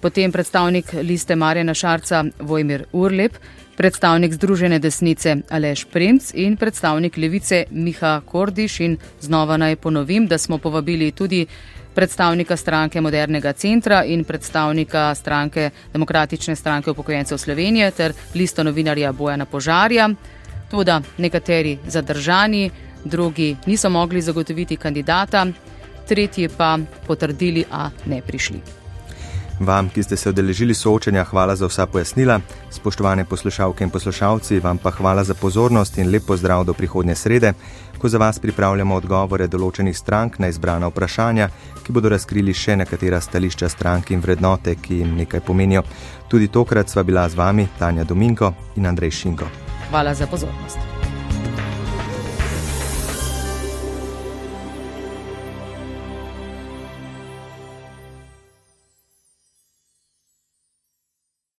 Speaker 2: potem predstavnik liste Marjana Šarca Vojmir Urlep, predstavnik Združene desnice Aleš Primc in predstavnik Levice Miha Kordiš. In znova naj ponovim, da smo povabili tudi predstavnika stranke Modernega centra in predstavnika stranke Demokratične stranke upokojencev Slovenije ter listo novinarja Bojana Požarja. Toda nekateri zadržani, drugi niso mogli zagotoviti kandidata, tretji pa potrdili, a ne prišli.
Speaker 3: Vam, ki ste se udeležili soočenja, hvala za vsa pojasnila. Spoštovane poslušalke in poslušalci, vam pa hvala za pozornost in lep pozdrav do prihodnje srede, ko za vas pripravljamo odgovore določenih strank na izbrana vprašanja, ki bodo razkrili še nekatera stališča strank in vrednote, ki jim nekaj pomenijo. Tudi tokrat sva bila z vami Tanja Dominko in Andrej Šinko.
Speaker 2: Hvala za pozornost.